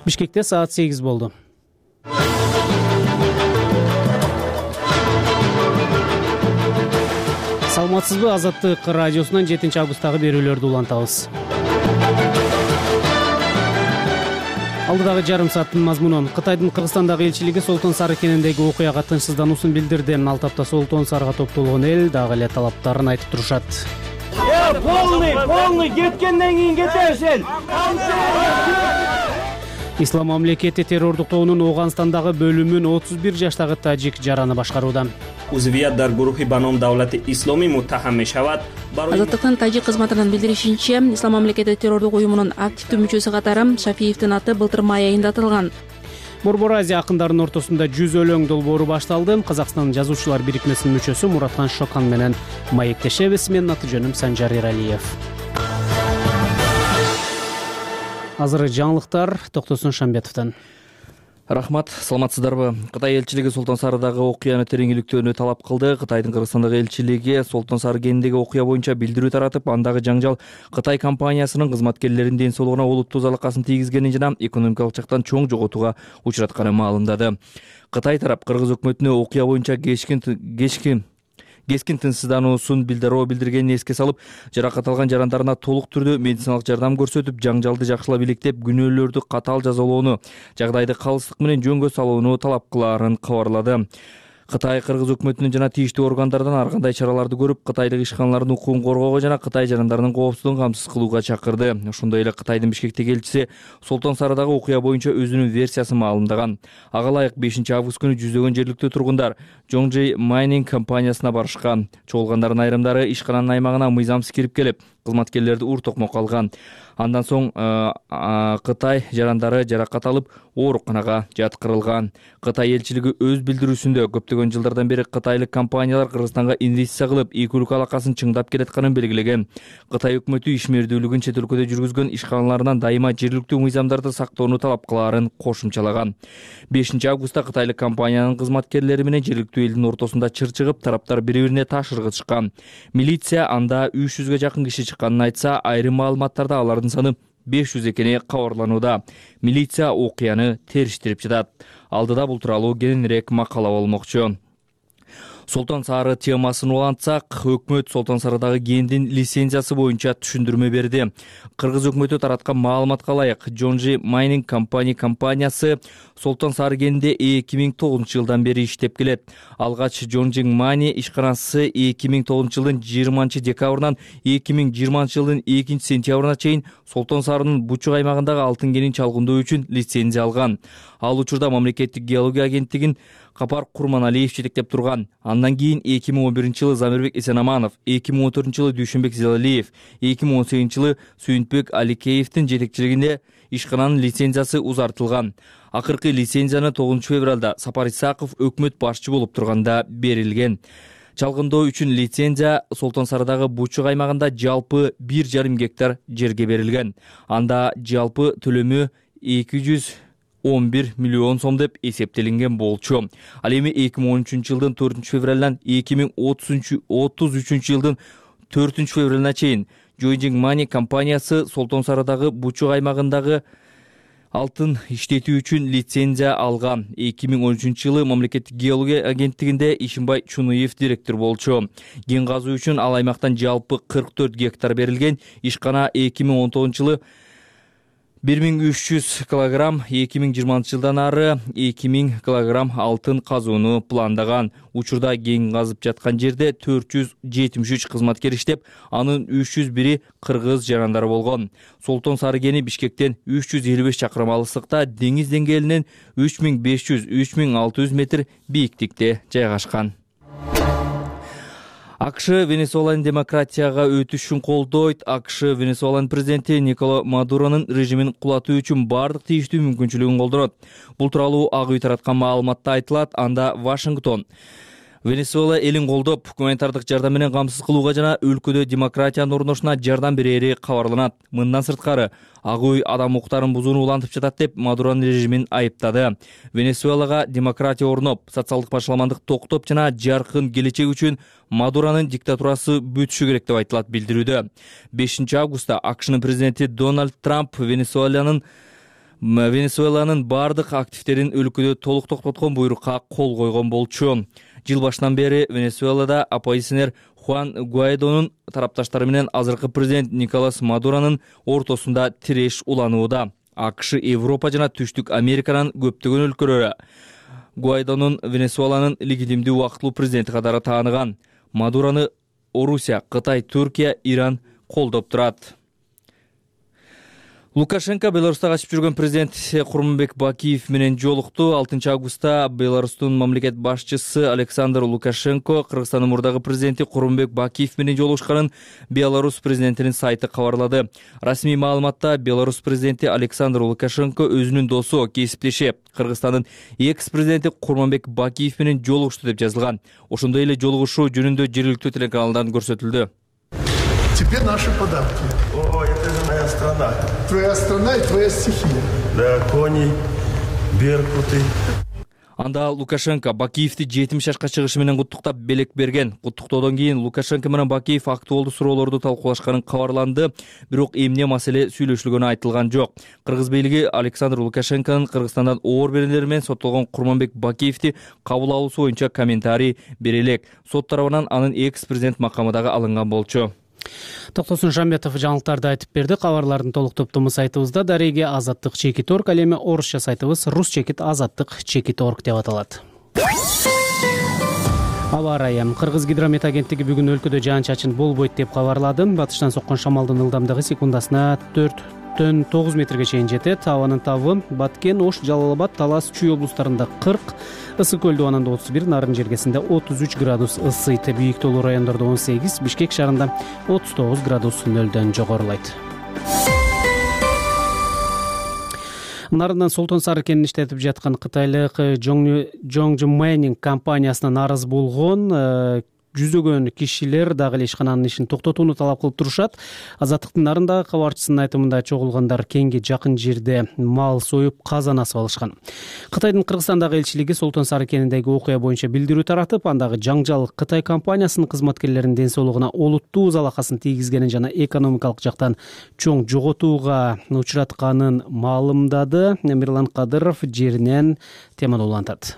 Бишкекте саат 8 болду. Саламатсызбы? Азаттык радиосунан 7 августтагы берүүлөрдү улантабыз. Алдыдагы жарым сааттын мазмунун Кытайдын Кыргызстандагы элчилиги Солтон Сары кенендеги окуяга тынчсыздануусун билдирди. Ал тапта Солтон Сарыга топтолгон эл дагы эле талаптарын айтып турушат. Полный кеткенден кийин кетесиң. Ислам мамлекети террордуктоонун Ооганстандагы бөлүмүн 31 жаштагы тажик жараны башкарууда. Узвият дар гурухи ба ном Давлати Исломӣ муттаҳам мешавад. Азаттыктын тажик кызматынын билдиришинче, Ислам мамлекети террордук уюмунун активдүү мүчөсү катары Шафиевдин аты былтыр май айында атылган. Борбор Азия акындарынын ортосунда 100 өлөң долбоору башталды. Казакстан жазуучулар бирикмесинин мүчөсү Муратхан Шокан менен маектешебиз. Менин аты жөнүм Санжар Иралиев. Азыр жаңылыктар Токтосун Шамбетовдон. Рахмат, саламатсыздарбы? Кытай элчилиги Солтон Сарыдагы окуяны тереңиликтөөнү талап кылды. Кытайдын Кыргызстандагы элчилиги Солтон Сары кенендеги окуя боюнча билдирүү таратып, андагы жаңжал Кытай компаниясынын кызматкерлеринин ден соолугуна олуттуу залакасын тийгизгенин жана экономикалык жактан чоң жоготууга учуратканын маалымдады. Кытай тарап Кыргыз өкмөтүнө окуя боюнча кескин тынчсыздануусун билдиргенин эске салып, жаракат алган жарандарына толук түрдө медициналык жардам көрсөтүп, жаңжалды жакшылап иликтеп, күнөөлөрдү катаал жазалоону, жагдайды калыстык менен жөнгө салууну талап кылаарын кабарлады. Кытай Кыргыз өкмөтүнүн жана тийиштүү органдардан ар кандай чараларды көрүп, кытайлык ишканалардын укугун коргоого жана Кытай жарандарынын коопсуздугун камсыз кылууга чакырды. Ошондой эле Кытайдын Бишкектеги элчиси Солтон Сарыдагы окуя боюнча өзүнүн версиясын маалымдаган. Ага ылайык 5-август күнү жүздөгөн жергиликтүү тургундар Zhongji Mining компаниясына барышкан. Чогулгандардын айрымдары ишкананын аймагына мыйзамсыз кирип келип, кызматкерлерди ур-токмок алган. Андан соң Кытай жарандары жаракат алып, ооруканага жаткырылган. Кытай элчилиги өз билдирүүсүндө көптөгөн жылдардан бери кытайлык компаниялар Кыргызстанга инвестиция кылып, эки өлкө алакасын чыңдап келатканын белгилеген. Кытай өкмөтү ишмердүүлүгүн чет өлкөдө жүргүзгөн ишканаларынан дайыма жергиликтүү мыйзамдарды сактоону талап кылаарын кошумчалаган. 5-августта кытайлык компаниянын кызматкерлери менен жергиликтүү элдин ортосунда чыр чыгып, тараптар бири-бирине таш ыргытышкан. Милиция анда 300га жакын киши чыкканын айтса, айрым маалыматтарда алардын саны 500 экени кабарланууда. Милиция окуяны териштирип жатат. Алдыда бул тууралуу кененирээк макала болмокчу. Солтон Сары темасын улантсак, өкмөт Солтон Сарыдагы кендин лицензиясы боюнча түшүндүрмө берди. Кыргыз өкмөтү тараткан маалыматка ылайык, Zhongji Mining компаниясы Солтон Сары кенинде 2009-жылдан бери иштеп келет. Алгач Zhongji Mining ишканасы 2009-жылдын 20-декабрынан 2020-жылдын 2-сентябрына чейин Солтон Сарынын Бучук аймагындагы алтын кенин чалгындоо үчүн лицензия алган. Ал учурда мамлекеттик геология агенттигин Капар Курманалиев жетектеп турган. Андан кийин 2011-жылы Замирбек Эсенаманов, 2014-жылы Дүйшөнбек Зелалиев, 2018-жылы Сүйүнтбек Аликеевдин жетекчилигинде ишкананын лицензиясы узартылган. Акыркы лицензияны 9-февралда Сапар Исаков өкмөт башчы болуп турганда берилген. Чалгындоо үчүн лицензия Солтон Сарыдагы Бучук аймагында жалпы 1,5 гектар жерге берилген. Анда жалпы төлөмү 211 миллион сом деп эсептелинген болчу. Ал эми 2013-жылдын 4-февралынан 2033-жылдын 4-февралына чейин Zhongji Mining компаниясы Солтон Сарыдагы Бучук аймагындагы алтын иштетүү үчүн лицензия алган. 2013-жылы мамлекеттик геология агенттигинде Ишимбай Чунуев директор болчу. Кен казуу үчүн ал аймактан жалпы 44 гектар берилген. Ишкана 2019-жылы 1300 килограмм, 2020-жылдан ары 2000 килограмм алтын казууну пландаган. Учурда кен казып жаткан жерде 473 кызматкер иштеп, анын 301-и кыргыз жарандары болгон. Солтон Сары кени Бишкектен 355 чакырым алыстыкта, деңиз деңгээлинен 3500-3600 метр бийиктикте жайгашкан. АКШ Венесуэланын демократияга өтүшүн колдойт. АКШ Венесуэланын президенти Николо Мадуронун режимин кулатуу үчүн бардык тийиштүү мүмкүнчүлүгүн колдонот. Бул тууралуу Ак үй тараткан маалыматта айтылат. Анда Вашингтон Венесуэла элин колдоп, гуманитардык жардам менен камсыз кылууга жана өлкөдө демократиянын орношуна жардам берери кабарланат. Мындан сырткары, Ак үй адам укуктарын бузууну улантып жатат деп Мадуронун режимин айыптады. Венесуэлага демократия орноп, социалдык башаламандык токтоп жана жаркын келечек үчүн Мадуронун диктатурасы бүтүшү керек деп айтылат билдирүүдө. 5 августта АКШнын президенти Дональд Трамп Венесуэланын бардык активдерин өлкөдө толук токтоткон буйрукка кол койгон болчу. Жыл башынан бери Венесуэлада оппозиционер Хуан Гуайдонун тарапташтары менен азыркы президент Николас Мадуронун ортосунда тиреш уланууда. АКШ, Европа жана Түштүк Американын көптөгөн өлкөлөрү Гуайдонун Венесуэланын легитимдүү убактылуу президенти катары тааныган. Мадурону Орусия, Кытай, Түркия, Иран колдоп турат. Лукашенко Беларусьта качып жүргөн президент Курманбек Бакиев менен жолукту. 6 августта Беларустун мамлекет башчысы Александр Лукашенко Кыргызстандын мурдагы президенти Курманбек Бакиев менен жолугушканын Беларусь президентинин сайты кабарлады. Расмий маалыматта Беларусь президенти Александр Лукашенко өзүнүн досу, кесиптеши Кыргызстандын экс-президенти Курманбек Бакиев менен жолугушту деп жазылган. Ошондой эле жолугушуу жөнүндө жергиликтүү телеканалдардан көрсөтүлдү. Теперь наши подарки. О, это же моя страна. Твоя страна и твоя стихия. Да, кони, беркуты. Анда Лукашенко Бакиевди 70 жашка чыгышы менен куттуктап белек берген. Куттуктоодон кийин Лукашенко менен Бакиев актуалдуу суроолорду талкуулашканын кабарланды, бирок эмне маселе сүйлөшүлгөнү айтылган жок. Кыргыз бийлиги Александр Лукашенконун Кыргызстандан оор беренелери менен соттолгон Курманбек Бакиевди кабыл алуусу боюнча комментарий бере элек. Сот тарабынан анын экс-президент макамы дагы алынган болчу. Токтосун Шамбетов жаңылыктарды айтып берди. Кабарлардын толук топтому сайтыбызда дареге azatlyk.org, ал эми орусча сайтыбыз rus.azatlyk.org деп аталат. Аба ырайы. Кыргыз гидромет агенттиги бүгүн өлкөдө жаан-чачын болбойт деп кабарлады. Батыштан соккон шамалдын ылдамдыгы секундасына 4,9 метрге чейин жетет. Абанын табы Баткен, Ош, Жалал Абад, Талас, Чүй облустарында 40, Ысык көл дубанында 31, Нарын жергесинде 33 градус ысыйт. Бийик тоолуу райондордо 18, Бишкек шаарында 39 градус нөлдөн жогорулайт. Нарындан Солтон Сары кенин иштетип жаткан кытайлык Zhongji Mining компаниясына нааразы болгон жүзөгөн кишилер дагы эле ишкананын ишин токтотууну талап кылып турушат. Азаттыктын нарындагы кабарчысынын айтымында чогулгандар кеңги жакын жерде мал союп казан асып алышкан. Кытайдын Кыргызстандагы элчилиги Солтон Сары кениндеги окуя боюнча билдирүү таратып, андагы жаңжал Кытай компаниясынын кызматкерлеринин ден соолугуна олуттуу залакасын тийгизгенин жана экономикалык жактан чоң жоготууга учратканын маалымдады. Мирлан Кадыров жеринен теманы улантат.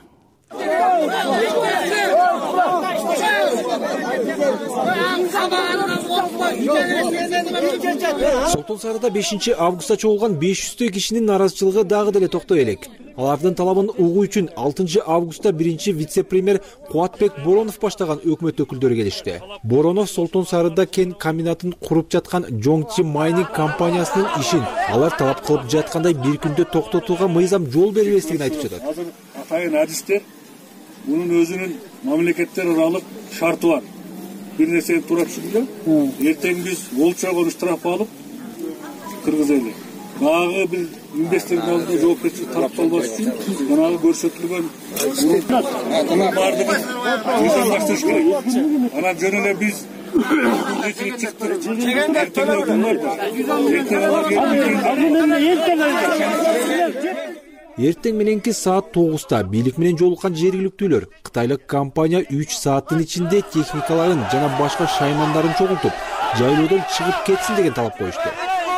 Солтон Сарыда 5 августта чогулган 500 кишинин нааразычылыгы дагы деле токтой элек. Алардын талабын угуу үчүн 6 августта 1 вице-премьер Кубатбек Боронов баштаган өкмөт өкүлдөрү келишти. Боронов Солтон Сарыда кен комбинатын куруп жаткан Zhongji Mining компаниясынын ишин алар талап кылып жаткандай бир күндө токтотууга мыйзам жол бербестигин айтып жатат. Азыр атайын адистер мунун өзүнүн мамлекеттер аралык шарты бар. Bir нерсени туура түшүндү. Эртең биз олчогон штраф алып кыргызели. Дагы бир инвестордун алдында жоопкерчилик тарапталбаш үчүн жанагы көрсөтүлгөн мунун баардыгын мыйзамдаштырыш керек. Анан жөн эле биз Эртең мененки саат 9-та бийлик менен жолуккан жергиликтүүлөр кытайлык компания 3 сааттын ичинде техникаларын жана башка шаймандарын чогултуп, жайлоодон чыгып кетсин деген талап коюшту.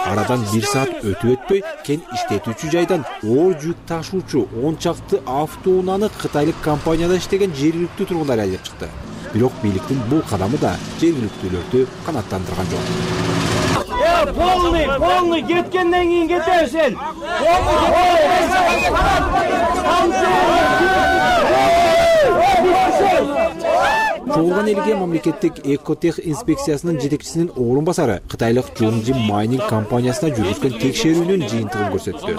Арадан 1 саат өтүп өтпөй кен иштетүүчү жайдан оор жүк ташуучу 10 чакты автоунааны кытайлык компанияда иштеген жергиликтүү тургундар айдап чыкты. Бирок бийликтин бул кадамы да жергиликтүүлөрдү канааттандырган жок. Полный кеткенден кийин кетесиң. Чогулган элге мамлекеттик экотех инспекциясынын жетекчисинин орун басары кытайлык Zhongji Mining компаниясына жүргүзгөн текшерүүнүн жыйынтыгын көрсөттү.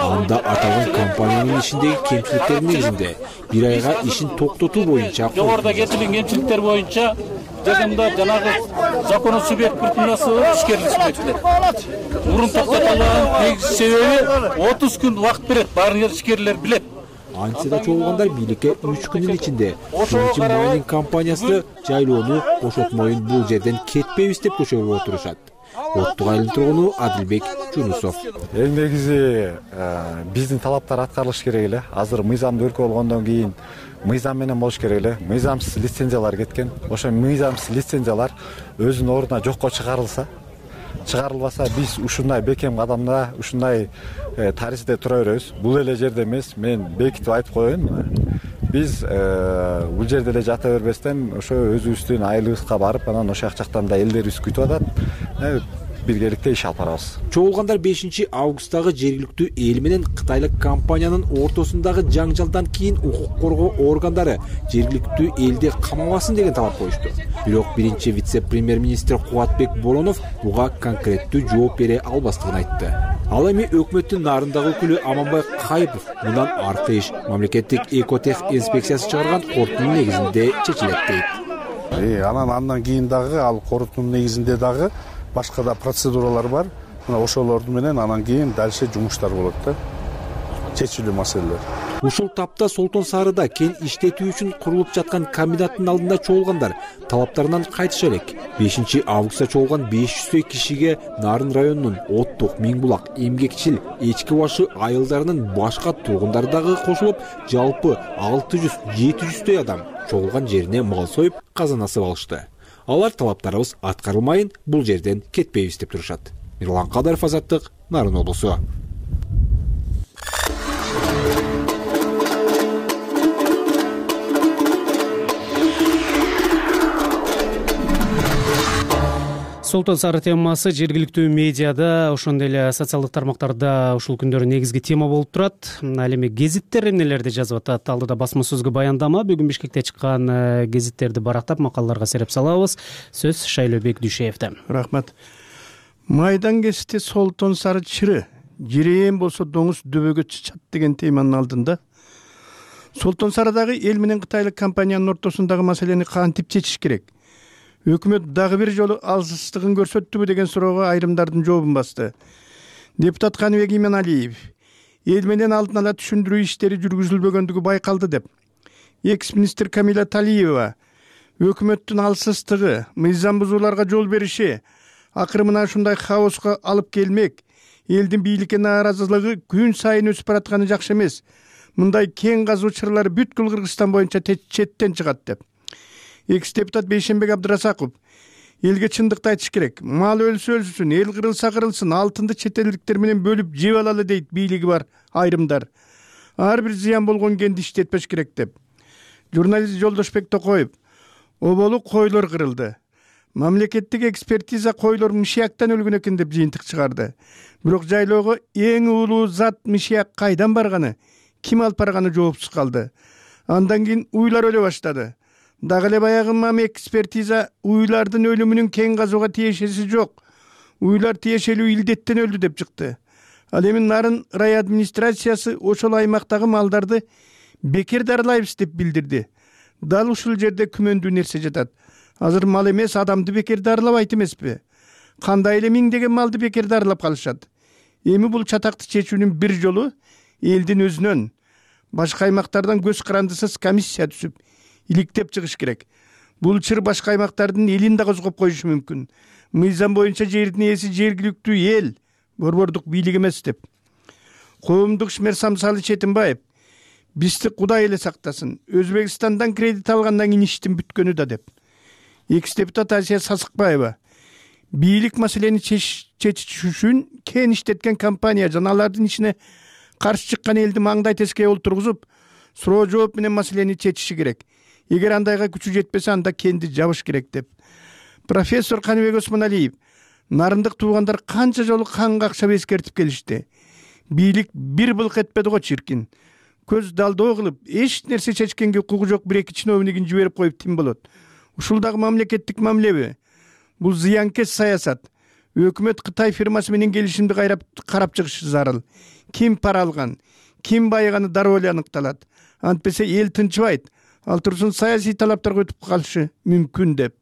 Анда аталган компаниянын ишиндеги кемчиликтер негизинде 1 айга ишин токтотуу боюнча жогоруда кетилген кемчиликтер боюнча жагымда жанагы закону субъект биртинасы ишкерлик субъектилер. Мурун токтотулган негизги себеби 30 күн убакыт берет. Баарын ишкерлер билет. Антсе да чогулгандар бийликке 3 күндүн ичинде Чоңчу майнинг компаниясы жайлоону бошотмоюн, бул жерден кетпейбиз деп көчөгө отурушат. Оттук айылдын тургуну Адилбек Жунусов. Эң негизи биздин талаптар аткарылыш керек эле. Азыр мыйзамды өлкө болгондон кийин мыйзам менен болуш керек эле. Мыйзамсыз лицензиялар кеткен. Ошо мыйзамсыз лицензиялар өзүнүн ордуна жокко чыгарылбаса, биз ушундай бекем кадамда, ушундай тарихте тура беребиз. Бул эле жерде эмес, мен бекитип айтып коеюн. Биз бул жерде эле жата бербестен ошо өзүбүздүн айылыбызга барып, анан ошол жактан да элдерибиз күтүп атат. Биргеликте иш алып барабыз. Чогулгандар 5 августтагы жергиликтүү эл менен кытайлык компаниянын ортосундагы жаңжалдан кийин укук коргоо органдары жергиликтүү элди камабасын деген талап коюшту. Бирок биринчи вице-премьер-министр Кубатбек Боронов буга конкреттүү жооп бере албастыгын айтты. Ал эми өкмөттүн нарындагы өкүлү Аманбай Кайыпов мындан аркы иш мамлекеттик экотех инспекциясы чыгарган корутундун негизинде чечилет дейт. Андан кийин дагы ал корутундун негизинде дагы башка да процедуралар бар. Мына ошолорду менен анан кийин дальше жумуштар болот да. Чечилүү маселелер. Ушул тапта Солтон Сарыда кен иштетүү үчүн курулуп жаткан комбинаттын алдында чогулгандар талаптарынан кайтыша элек. 5 августта чогулган 500 кишиге Нарын районунун Оттук, Миңбулак, Эмгекчил, Эчки башы айылдарынын башка тургундары дагы кошулуп, жалпы 600-700 адам чогулган жерине мал союп, казан асып алышты. Алар талаптарыбыз аткарылмайын, бул жерден кетпейбиз деп турушат. Мирлан Кадаров, Азаттык, Нарын облусу. Солтон Сары темасы жергиликтүү медиада, ошондой эле социалдык тармактарда ушул күндөрү негизги тема болуп турат. Ал эми гезиттер эмнелерди жазып атат? Алдыда басма сөзгө баяндама, бүгүн Бишкекте чыккан гезиттерди барактап макалаларга сереп салабыз. Сөз Шайлообек Дүйшеевде. Рахмат. Майдан кести Солтон Сары чыры, жирейен болсо доңуз дөбөгө чычат деген теманын алдында Солтон Сарыдагы эл менен кытайлык компаниянын ортосундагы маселени кантип чечиш керек? Өкмөт дагы бир жолу алсыздыгын көрсөттүбү деген суроого айрымдардын жообун басты. Депутат Каныбек Именалиев эл менен алдын ала түшүндүрүү иштери жүргүзүлбөгөндүгү байкалды деп. Экс-министр Камила Талиева өкмөттүн алсыздыгы, мыйзам бузууларга жол бериши акыры мына ушундай хаоска алып келмек. Элдин бийликке нааразылыгы күн сайын өсүп баратканы жакшы эмес. Мындай кен казуу чырлары бүткүл Кыргызстан боюнча четтен чыгат деп. Экс-депутат Бейшенбек Абдырасаков элге чындыкты айтыш керек. Мал өлсө өлсүн, эл кырылса кырылсын, алтынды чет элдиктер менен бөлүп жеп алалы дейт бийлиги бар айрымдар. Ар бир зыян болгон кенди иштетпеш керек деп. Журналист Жолдошбек Токоев оболу койлор кырылды. Мамлекеттик экспертиза койлор мышыяктан өлгөн экен деп жыйынтык чыгарды. Бирок жайлоого эң улуу зат мышыяк кайдан барганы, ким алып барганы жоопсуз калды. Андан кийин уйлар өлө баштады. Дагы эле баягы мам экспертиза уйлардын өлүмүнүн кен казууга тиешеси жок. Уйлар тиешелүү илдеттен өлдү деп чыкты. Ал эми Нарын рай администрациясы ошол аймактагы малдарды бекер дарылайбыз деп билдирди. Дал ушул жерде күмөндүү нерсе жатат. Азыр мал эмес, адамды бекер дарылабайт эмеспи? Кандай эле миңдеген малды бекер дарылап калышат? Эми бул чатакты чечүүнүн бир жолу элдин өзүнөн, башка аймактардан көз карандысыз комиссия түзүп иликтеп чыгыш керек. Бул чыр башка аймактардын элин да козгоп коюшу мүмкүн. Мыйзам боюнча жердин ээси жергиликтүү эл, борбордук бийлик эмес деп. Коомдук ишмер Самсалы Четимбаев бизди Кудай эле сактасын. Өзбекстандан кредит алгандан кийин иштин бүткөнү да деп. Экс-депутат Асия Сасыкбаева бийлик маселени чечиш үчүн кен иштеткен компания жана алардын ишине каршы чыккан элди маңдай тескей олтургузуп, суроо жооп менен маселени чечиши керек. Эгер андайга күчү жетпесе, анда кенди жабыш керек деп. Профессор Каныбек Осмоналиев нарындык туугандар канча жолу қан какшап эскертип келишти. Бийлик бир былк этпеди го чиркин. Көз далдоо кылып, эч нерсе чечкенге укугу жок бир-эки чиновнигин жиберип коюп тим болот. Ушул дагы мамлекеттик мамилеби? Бул зыянкес саясат. Өкмөт Кытай фирмасы менен келишимди карап чыгышы зарыл. Ким пара алган, ким байыганы дароо эле аныкталат. Антпесе эл тынчыбайт. Ал турсун саясий талаптарга өтүп калышы мүмкүн деп.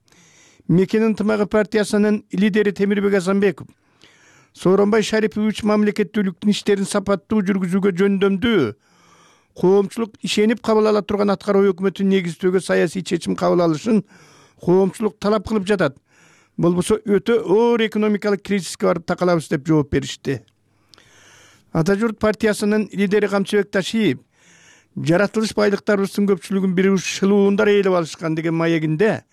Мекен ынтымагы партиясынын лидери Темирбек Азанбеков Сооронбай Шарипович мамлекеттүүлүктүн иштерин сапаттуу жүргүзүүгө жөндөмдүү коомчулук ишенип кабыл ала турган аткаруу өкмөтүн негиздөөгө саясий чечим кабыл алышын коомчулук талап кылып жатат. Болбосо өтө оор экономикалык кризиске барып такалабыз деп жооп беришти. Ата журт партиясынын лидери Камчыбек Ташиев жаратылыш байлыктарыбыздын көпчүлүгүн бир уч шылуундар ээлеп алышкан деген маегинде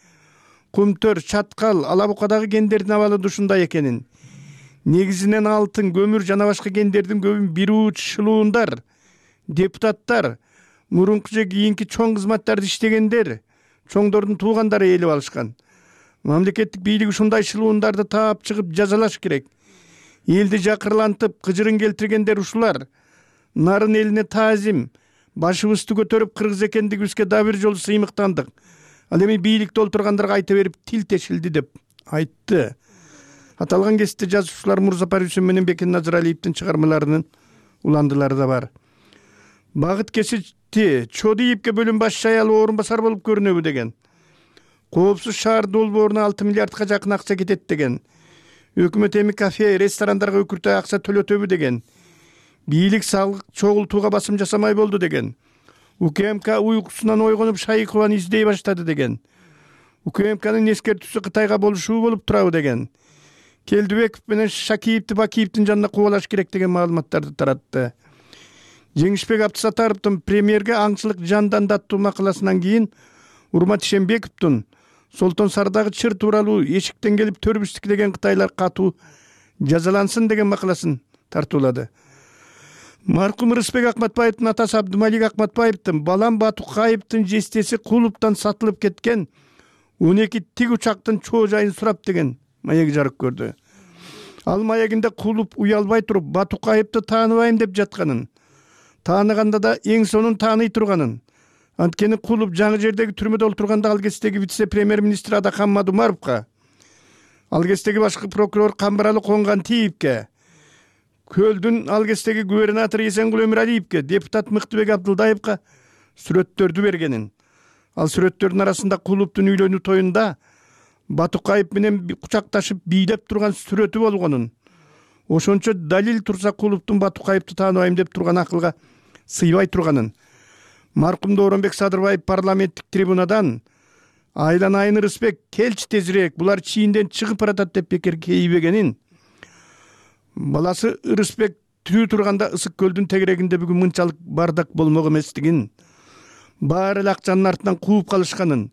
Кумтөр, Чаткал, Ала Букадагы кендердин абалы да ушундай экенин, негизинен алтын, көмүр жана башка кендердин көбүн бир уч шылуундар, депутаттар, мурунку же кийинки чоң кызматтарды иштегендер, чоңдордун туугандары ээлеп алышкан. Мамлекеттик бийлик ушундай шылуундарды таап чыгып жазалаш керек. Элди жакырлантып, кыжырын келтиргендер ушулар. Нарын элине таазим, башыбызды көтөрүп кыргыз экендигибизге да бир жолу сыймыктандык. Ал эми бийликте олтургандарга айта берип тил тешилди деп айтты. Аталган кесипте жазуучулар Мурзапар Үсен менен Бекен Назаралиевдин чыгармаларынын уландылары да бар. Багыт Кесичти Чодиевке бөлүм баш аялы орун басар болуп көрүнөбү деген. Коопсуз шаар долбооруна 6 миллиардка жакын акча кетет деген. Өкмөт эми кафе, ресторандарга өкүртөй акча төлөтөбү деген. Бийлик салык чогултууга басым жасамай болду деген. УКМК уйкусунан ойгонуп Шайыкованы издей баштады деген. УКМКнын эскертүүсү Кытайга болушуу болуп турабы деген. Келдибеков менен Шакиевди Бакиевдин жанына кубалаш керек деген маалыматтарды таратты. Жеңишбек Абдысатаровдун премьерге аңчылык жандан даттуу макаласынан кийин Урмат Ишенбековдун Солтон Сардагы чыр тууралуу эшиктен келип төрүбүз деген кытайлар катуу жазалансын деген макаласын тартуулады. Маркум Рысбек Акматбаевдин атасы Абдымалик Акматбаевдин Балам Батукаевдин жестеси клубтан сатылып кеткен 12 тик учактын чоо жайын сурап деген маек жарык көрдү. Ал маегинде клуб уялбай туруп Батукаевди тааныбайм деп жатканын, тааныганда да эң сонун тааный турганын, анткени клуб жаңы жердеги түрмөдө олтурганда ал кездеги вице-премьер-министр Адакан Мадумаровго, ал кездеги башкы прокурор Камбаралы Конгантиевке, Көлдүн ал кездеги губернатор Эсенгул Өмүралиевке, депутат Мыктыбек Абдылдаевга сүрөттөрдү бергенин. Ал сүрөттөрдүн арасында клубтун үйлөнүү тоюнда Батукаев менен кучакташып бийлеп турган сүрөтү болгонун. Ошончо далил турса клубтун Батукаевди тааныбайм деп турган акылга сыйбай турганын. Маркум Дооронбек Садырбаев парламенттик трибунадан Айлан Айын Рысбек келчи тезирээк, булар чийинден чыгып баратат деп бекер кейбегенин. Баласы Рысбек тирүү турганда Ысык көлдүн тегерегинде бүгүн мынчалык бардак болмок эместигин, баары эле акчанын артынан кууп калышканын,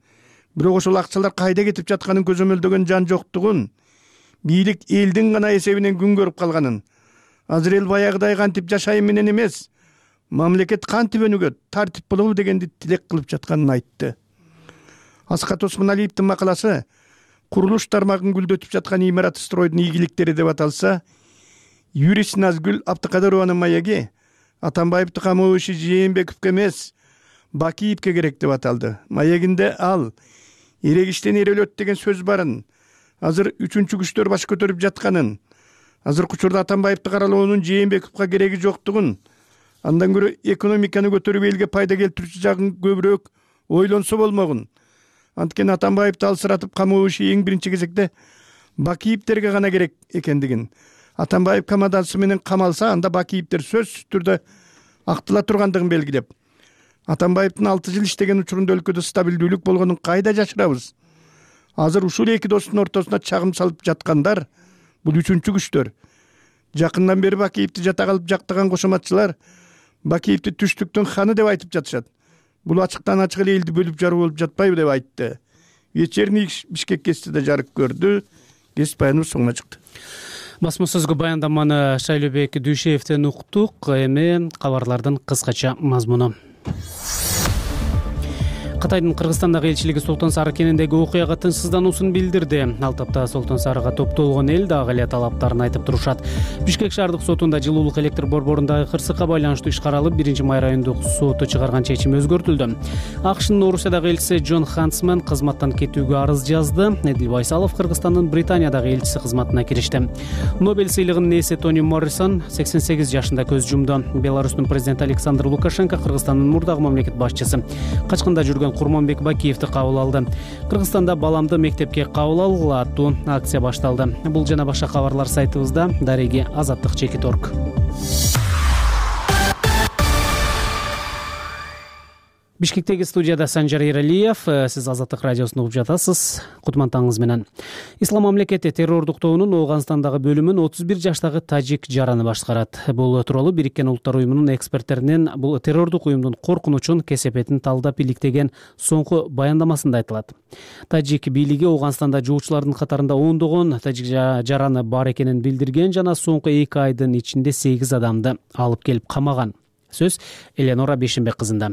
бирок ошол акчалар кайда кетип жатканын көзөмөлдөгөн жан жоктугун, бийлик элдин гана эсебинен күн көрүп калганын, азыр эл баягыдай кантип жашайын менен эмес, мамлекет кантип өнүгөт, тартип болобу дегенди тилек кылып жатканын айтты. Аскат Осмоналиевдин макаласы курулуш тармагын гүлдөтүп жаткан имарат стройдун ийгиликтери деп аталса, юрист Назгүл Абдыкадырованын маеги Атамбаевди камоо иши Жээнбековго эмес, Бакиевке керек деп аталды. Маегинде ал эрегиштен эрөлөт деген сөз барын, азыр 3-чү күчтөр баш көтөрүп жатканын, азыркы учурда Атамбаевди каралоонун Жээнбековго кереги жоктугун, андан көрө экономиканы көтөрүп элге пайда келтирүүчү жагын көбүрөөк ойлонсо болмогун. Анткени Атамбаевди алсыратып камоо иши эң биринчи кезекте Бакиевдерге гана керек экендигин, Атамбаев камадасы менен камалса, анда Бакиевдер сөзсүз түрдө актыла тургандыгын белгилеп, Атамбаевдин 6 жыл иштеген учурунда өлкөдө стабилдүүлүк болгонун кайда жашырабыз? Азыр ушул эки достун ортосуна чагым салып жаткандар бул 3-чү күчтөр. Жакындан бери Бакиевди жата калып жактаган кошоматчылар Бакиевди түштүктүн ханы деп айтып жатышат. Бул ачыктан ачык эле элди бөлүп жаруу болуп жатпайбы деп айтты. Вечерний Бишкек кесипте жарык көрдү. Кесип баяныбыз соңуна чыкты. Басма сөзгө баяндаманы Шайлообек Дүйшеевден уктук. Эми кабарлардын кыскача мазмуну. Кытайдын Кыргызстандагы элчилиги Солтон Сары кенендеги окуяга тынчсыздануусун билдирди. Ал тапта Солтон Сарыга топтолгон эл дагы эле талаптарын айтып турушат. Бишкек шаардык сотунда жылуулук электр борборундагы кырсыкка байланыштуу иш каралып, 1-май райондук соту чыгарган чечим өзгөртүлдү. АКШнын Орусиядагы элчиси Джон Хансман кызматтан кетүүгө арыз жазды. Эдил Байсалов Кыргызстандын Британиядагы элчиси кызматына киришти. Нобель сыйлыгынын ээси Тони Моррисон 88 жашында көз жумду. Беларустун президенти Александр Лукашенко Кыргызстандын мурдагы мамлекет башчысы качкында жүргөн Курманбек Бакиевди кабыл алды. Кыргызстанда баламды мектепке кабыл алгыла аттуу акция башталды. Бул жана башка кабарлар сайтыбызда. Дареги Азаттык Чекит.org. Бишкектеги студияда Санжар Эралиев. Сиз Азаттык радиосун угуп жатасыз. Кутман таңыңыз менен. Ислам мамлекети террордук тобунун Ооганстандагы бөлүмүн 31 жаштагы тажик жараны башкарат. Бул тууралуу Бириккен Улуттар уюмунун эксперттеринин бул террордук уюмдун коркунучун, кесепетин талдап иликтеген соңку баяндамасында айтылат. Тажик бийлиги Ооганстанда жоочулардын катарында ондогон тажик жараны бар экенин билдирген жана соңку 2 айдын ичинде 8 адамды алып келип камаган. Сөз Эленора Бешенбек кызында.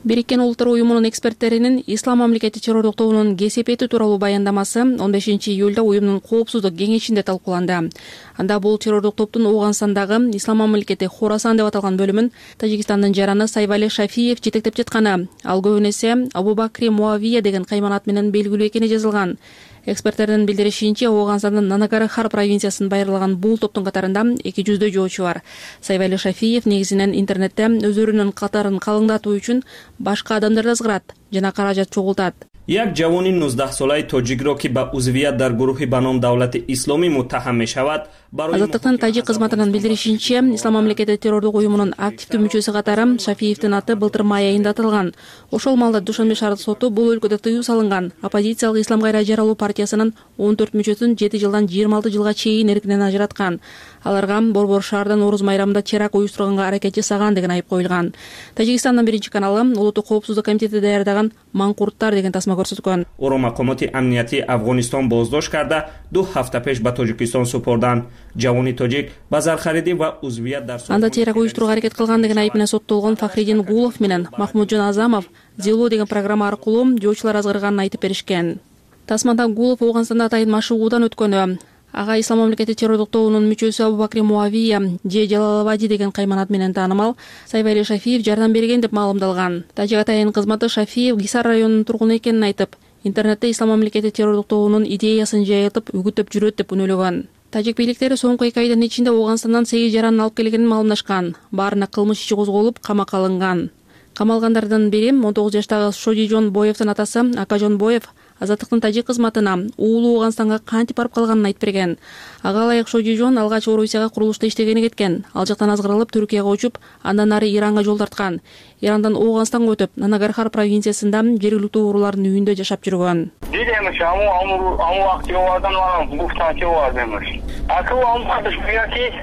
Бириккен Улуттар уюмунун эксперттеринин Ислам мамлекети террордук тобунун кесепети тууралуу баяндамасы 15 июлда уюмдун коопсуздук кеңешинде талкууланды. Анда бул террордук топтун Ооганстандагы Ислам мамлекети Хорасан деп аталган бөлүмүн Тажикстандын жараны Сайвали Шафиев жетектеп жатканы, ал көбүн эсе Абу Бакри Муавия деген кайманат менен белгилүү экени жазылган. Эксперттердин билдиришинче, Ооганстандын Нанагархар провинциясын байырлаган бул топтун катарында 200 жоочу бар. Сайвали Шафиев негизинен интернетте өздөрүнүн катарын калыңдатуу үчүн башка адамдарды ызгырат жана каражат чогултат. як ҷавони 19 солаи тоҷикро ки ба узвият дар гурӯҳи ба ном давлати исломӣ муттаҳам мешавад барои Азаттыктын тажик кызматынын билдиришинче, Ислам мамлекети террордук уюмунун активдүү мүчөсү катары Шафиевдин аты былтыр май айында аталган. Ошол маалда Душанбе шаардык соту бул өлкөдө тыюу салынган оппозициялык Ислам кайра жаралуу партиясынын 14 мүчөсүн 7 жылдан 26 жылга чейин эркинен ажыраткан. Аларга борбор шаарда Нооруз майрамында теракт уюштурганга аракет жасаган деген айып коюлган. Тажикстандын биринчи каналы Улуттук коопсуздук комитети даярдаган Маңкурттар деген тасма көрсөткөн. Оро мақомоти амниятии Афғонистон боздошт карда 2 ҳафта пеш ба Тоҷикистон супурданд. Ҷавони тоҷик ба зархаридӣ ва узвият дар анда теракт уюштурууга аракет кылган деген айып менен соттолгон Фахриддин Гулов менен Махмуджон Азамов Зилу деген программа аркылуу жоочулар азгырганын айтып беришкен. Тасмада Гулов Ооганстанда атайын машыгуудан өткөнү, ага Ислам мамлекети террордук тобунун мүчөсү Абу Бакри Муавия же Жалалабади деген кайманат менен таанымал Сайвали Шафиев жардам берген деп маалымдалган. Тажик атайын кызматы Шафиев Гисар районунун тургуну экенин айтып, интернетте Ислам мамлекети террордук тобунун идеясын жайылтып үгүттөп жүрөт деп үнөлөгөн. Тажик бийликтери соңку 2 айдын ичинде Ооганстандан 8 жаранын алып келгенин маалымдашкан. Баарына кылмыш иши козголуп, камакка алынган. Камалгандардын бири 19 жаштагы Шодижон Боевдин атасы Акажон Боев Азаттыктын тажик кызматына уулу Ооганстанга кантип барып калганын айтып берген. Ага ылайык Шодижон алгач Орусияга курулушта иштегени кеткен. Ал жактан азгырылып Түркияга учуп, андан ары Иранга жол тарткан. Ирандан Ооганстанга өтүп, Нанагархар провинциясында жергиликтүү уруулардын үйүндө жашап жүргөн.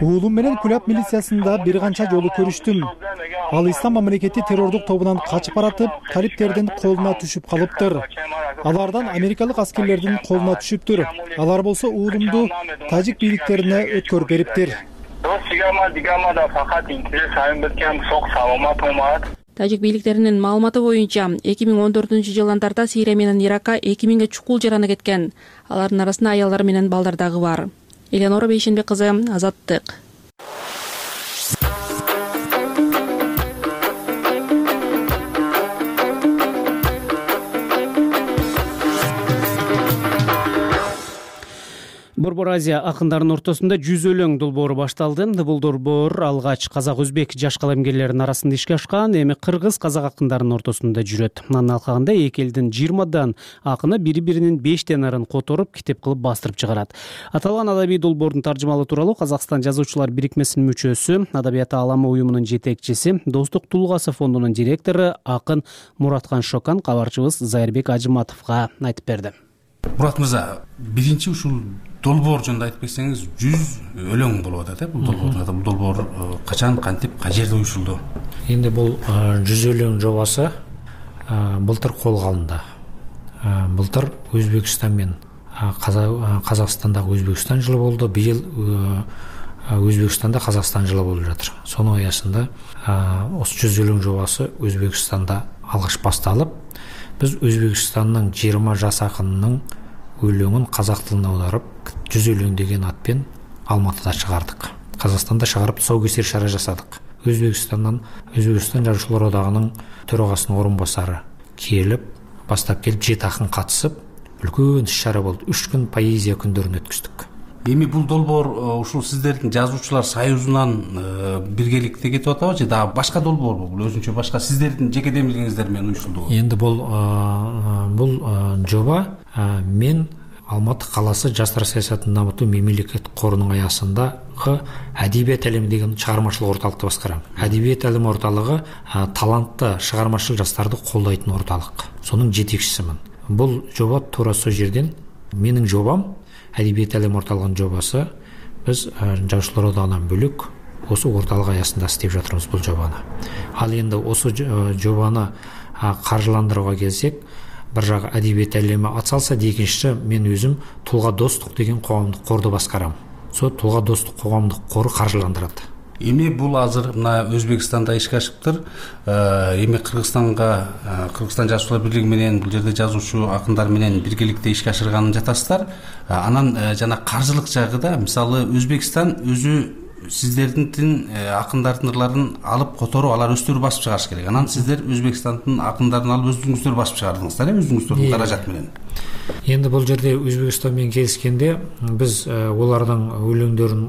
Уулум менен Куляб милициясында бир канча жолу көрүштүм. Ал Ислам мамлекети террордук тобунан качып баратып, талиптердин колуна түшүп калыптыр. Алардан америкалык аскерлердин колуна түшүптүр. Алар болсо уулумду тажик бийликтерине өткөрүп бериптир. Тажик бийликтеринин маалыматы боюнча 2014-жылдан тарта Сирия менен Иракка 2000ге чукул жараны кеткен. Алардын арасында аялдар менен балдар дагы бар. Эленора Бейшенбек кызы, Азаттык. Борбор Азия акындарынын ортосунда 100 өлөң долбоору башталды. Бул долбоор алгач казак-өзбек жаш калемгерлеринин арасында ишке ашкан, эми кыргыз-казак акындарынын ортосунда жүрөт. Анын алкагында эки элдин 20дан акыны бири-биринин 5 тенарын которуп, китеп кылып бастырып чыгарат. Аталган адабий долбоордун таржымалоо тууралуу Казакстан жазуучулар бирикмесинин мүчөсү, Адабият ааламы уюмунун жетекчиси, Достук Тулгасы фондунун директору акын Мураткан Шокан кабарчыбыз Зайырбек Ажыматовго айтып берди. Мурат мырза, биринчи ушул долбоор жөнүндө айтып берсеңиз, 100 өлөң болуп атат, бул долбоор. Бул долбоор качан, кантип, кай жерде уюшулду? Эми бул 100 өлөң жобасы былтыр колго алынды. Былтыр Өзбекстан менен Казакстандагы Өзбекстан жылы болду. Быйыл Өзбекстанда Казакстан жылы болуп жатыр. Сонун аясында осы 100 өлөң жобасы Өзбекстанда алгач башталып, биз Өзбекстандын 20 жаш акынынын өлөңүн казак тилине аударып, 100 өлөң деген атпен Алматыда чыгардык. Казакстанда чыгарып, тұсаукесер шара жасадык. Өзбекстан жазуучулар одагынын төрагасынын орун басары келип, баштап келип 7 акын катышып, үлкөн иш-чара болду. 3 күн поэзия күндөрүн өткөздүк. Эми бул долбоор ушул сиздердин жазуучулар союзунан биргеликте кетип атабы же дагы башка долбоорбу? Бул өзүнчө башка сиздердин жеке демилгиңиздер менен уюштурулду. Эndi бул жоба мен Алматы калаасы жаштар саясатын дамытуу мемлекеттик корунун аясындагы Адебият алеми деген чыгармачылык орталыкты баскарам. Адебият алеми орталыгы талантты чыгармачыл жаштарды колдойтун орталык. Сонун жетекчисимин. Бул жоба туура сол жерден менин жобам, Адебият алеми орталыгынын жобасы. Биз Жазуучулар одагынан бөлөк осы орталык аясында иштеп жатырбыз бул жобаны. Ал эми осы жобаны каржыландырууга келсек, бир жагы Адебият алеми атсалса, экинчиси мен өзүм Тулга достук деген коомдук корду баскарам. Со Тулга достук коомдук кору каржыландырат. Эми бул азыр мына Өзбекстанда ишке ашыптыр. Эми Кыргызстан жазуучулар бирлиги менен бул жерде жазуучу акындар менен биргеликте ишке ашырганын жатасыздар. Анан жана каржылык жагыда мисалы Өзбекстан өзү сиздердин акындардын ырларын алып которуп, алар өздөрү басып чыгарыш керек. Анан сиздер Өзбекстандын акындарын алып өзүңүздөр басып чыгардыңыздар, өзүңүздөрдүн каражат менен. Енді бұл жерде Өзбекстанмен келіскенде біз олардың өлеңдерін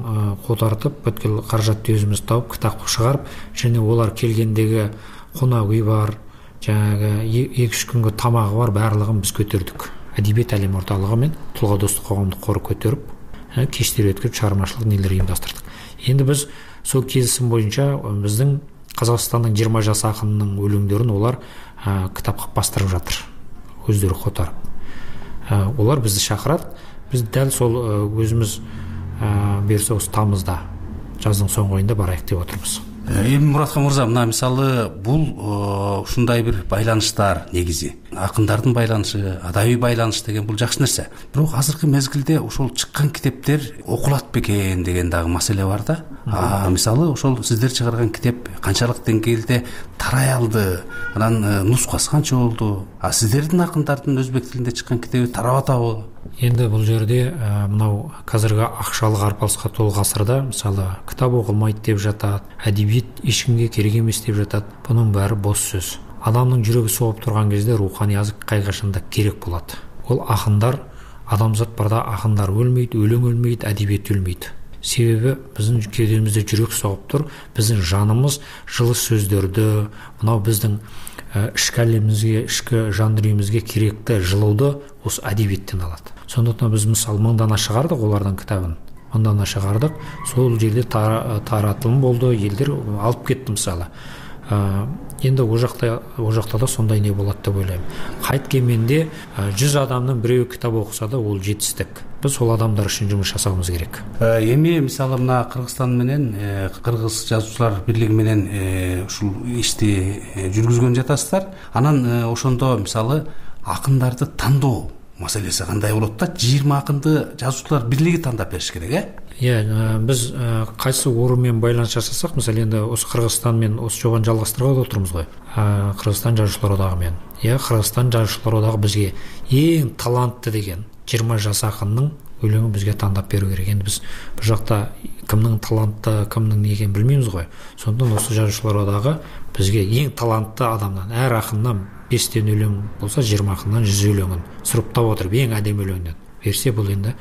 қотартып, бүткіл қаражатты өзіміз тауып, кітап шығарып, және олар келгендегі қонақ үй бар, жаңағы 2-3 күнгі тамағы бар, барлығын біз көтердік. Әдебиет әлем орталығы мен Тұлға достық қоғамдық қоры көтеріп, кештер өткізіп, шығармашылық нелер ұйымдастырдық. Енді біз сол келісім бойынша біздің Қазақстанның 20 жас ақынының өлеңдерін олар кітапқа бастырып жатыр, өздері қотарып. Олар бізді шақырады, біз дәл сол өзіміз берсе осы тамызда, жаздың соңғы айында барайық деп отырмыз. Эми Муратхан мырза, мына мисалы бул ушундай бир байланыштар негизи. Акындардын байланышы, адабий байланыш деген бул жакшы нерсе. Бирок азыркы мезгилде ошол чыккан китептер окулат бекен деген дагы маселе бар да. Мисалы ошол сиздер чыгарган китеп канчалык деңгээлде тарай алды? Анан нускасы канча болду? Сиздердин акындардын өзбек тилинде чыккан китеби тарап атабы? Енді бұл жерде мынау қазіргі ақшалық арпалысқа толы ғасырда мысалы кітап оқылмайды деп жатады, әдебиет ешкімге керек емес деп жатады. Бұның бәрі бос сөз. Адамның жүрегі соғып тұрған кезде рухани азық қайғашында керек болады. Ол ақындар, адамзат барда ақындар өлмейді, өлең өлмейді, әдебиет өлмейді. Себебі біздің кеудемізде жүрек соғып тұр, біздің жанымыз жылы сөздерді, мынау біздің ішкі әлемімізге, ішкі жан дүниемізге керекті жылуды осы әдебиеттен алады. Сондықтан біз мысалы 1000 дана шығардық олардан кітабын. 1000 дана шығардық, сол жерде таратылым болды, елдер алып кетті мысалы. Енді о жақта да сондай не болады деп ойлаймын. Қайткенменде 100 адамның біреуі кітап оқыса да ол жетістік. Біз сол адамдар үшін жұмыс жасауымыз керек. Эми мисалы мына Кыргызстан менен Кыргыз жазуучулар бирлиги менен ушул ишти жүргүзгөн жатасыздар. Анан ошондо мисалы акындарды тандоо маселеси кандай болот да? 20 акынды жазуучулар бирлиги тандап бериш керек, біз қайсы орынмен байланыс жасасақ, мысалы енді осы Қырғызстанмен осы жобаны жалғастырып отырмыз ғой. Қырғызстан жазушылар одағымен. Қырғызстан жазушылар одағы бізге ең талантты деген 20 жас ақынның өлеңін бізге таңдап беру керек. Енді біз бұл жақта кімнің талантты, кімнің не екенін білмейміз ғой. Сондықтан осы жазушылар одағы бізге ең талантты адамнан, әр ақыннан 5 өлең болса 20 ақыннан 100 өлеңін сұрыптап отырып, ең әдемі өлеңнен берсе, бұл енді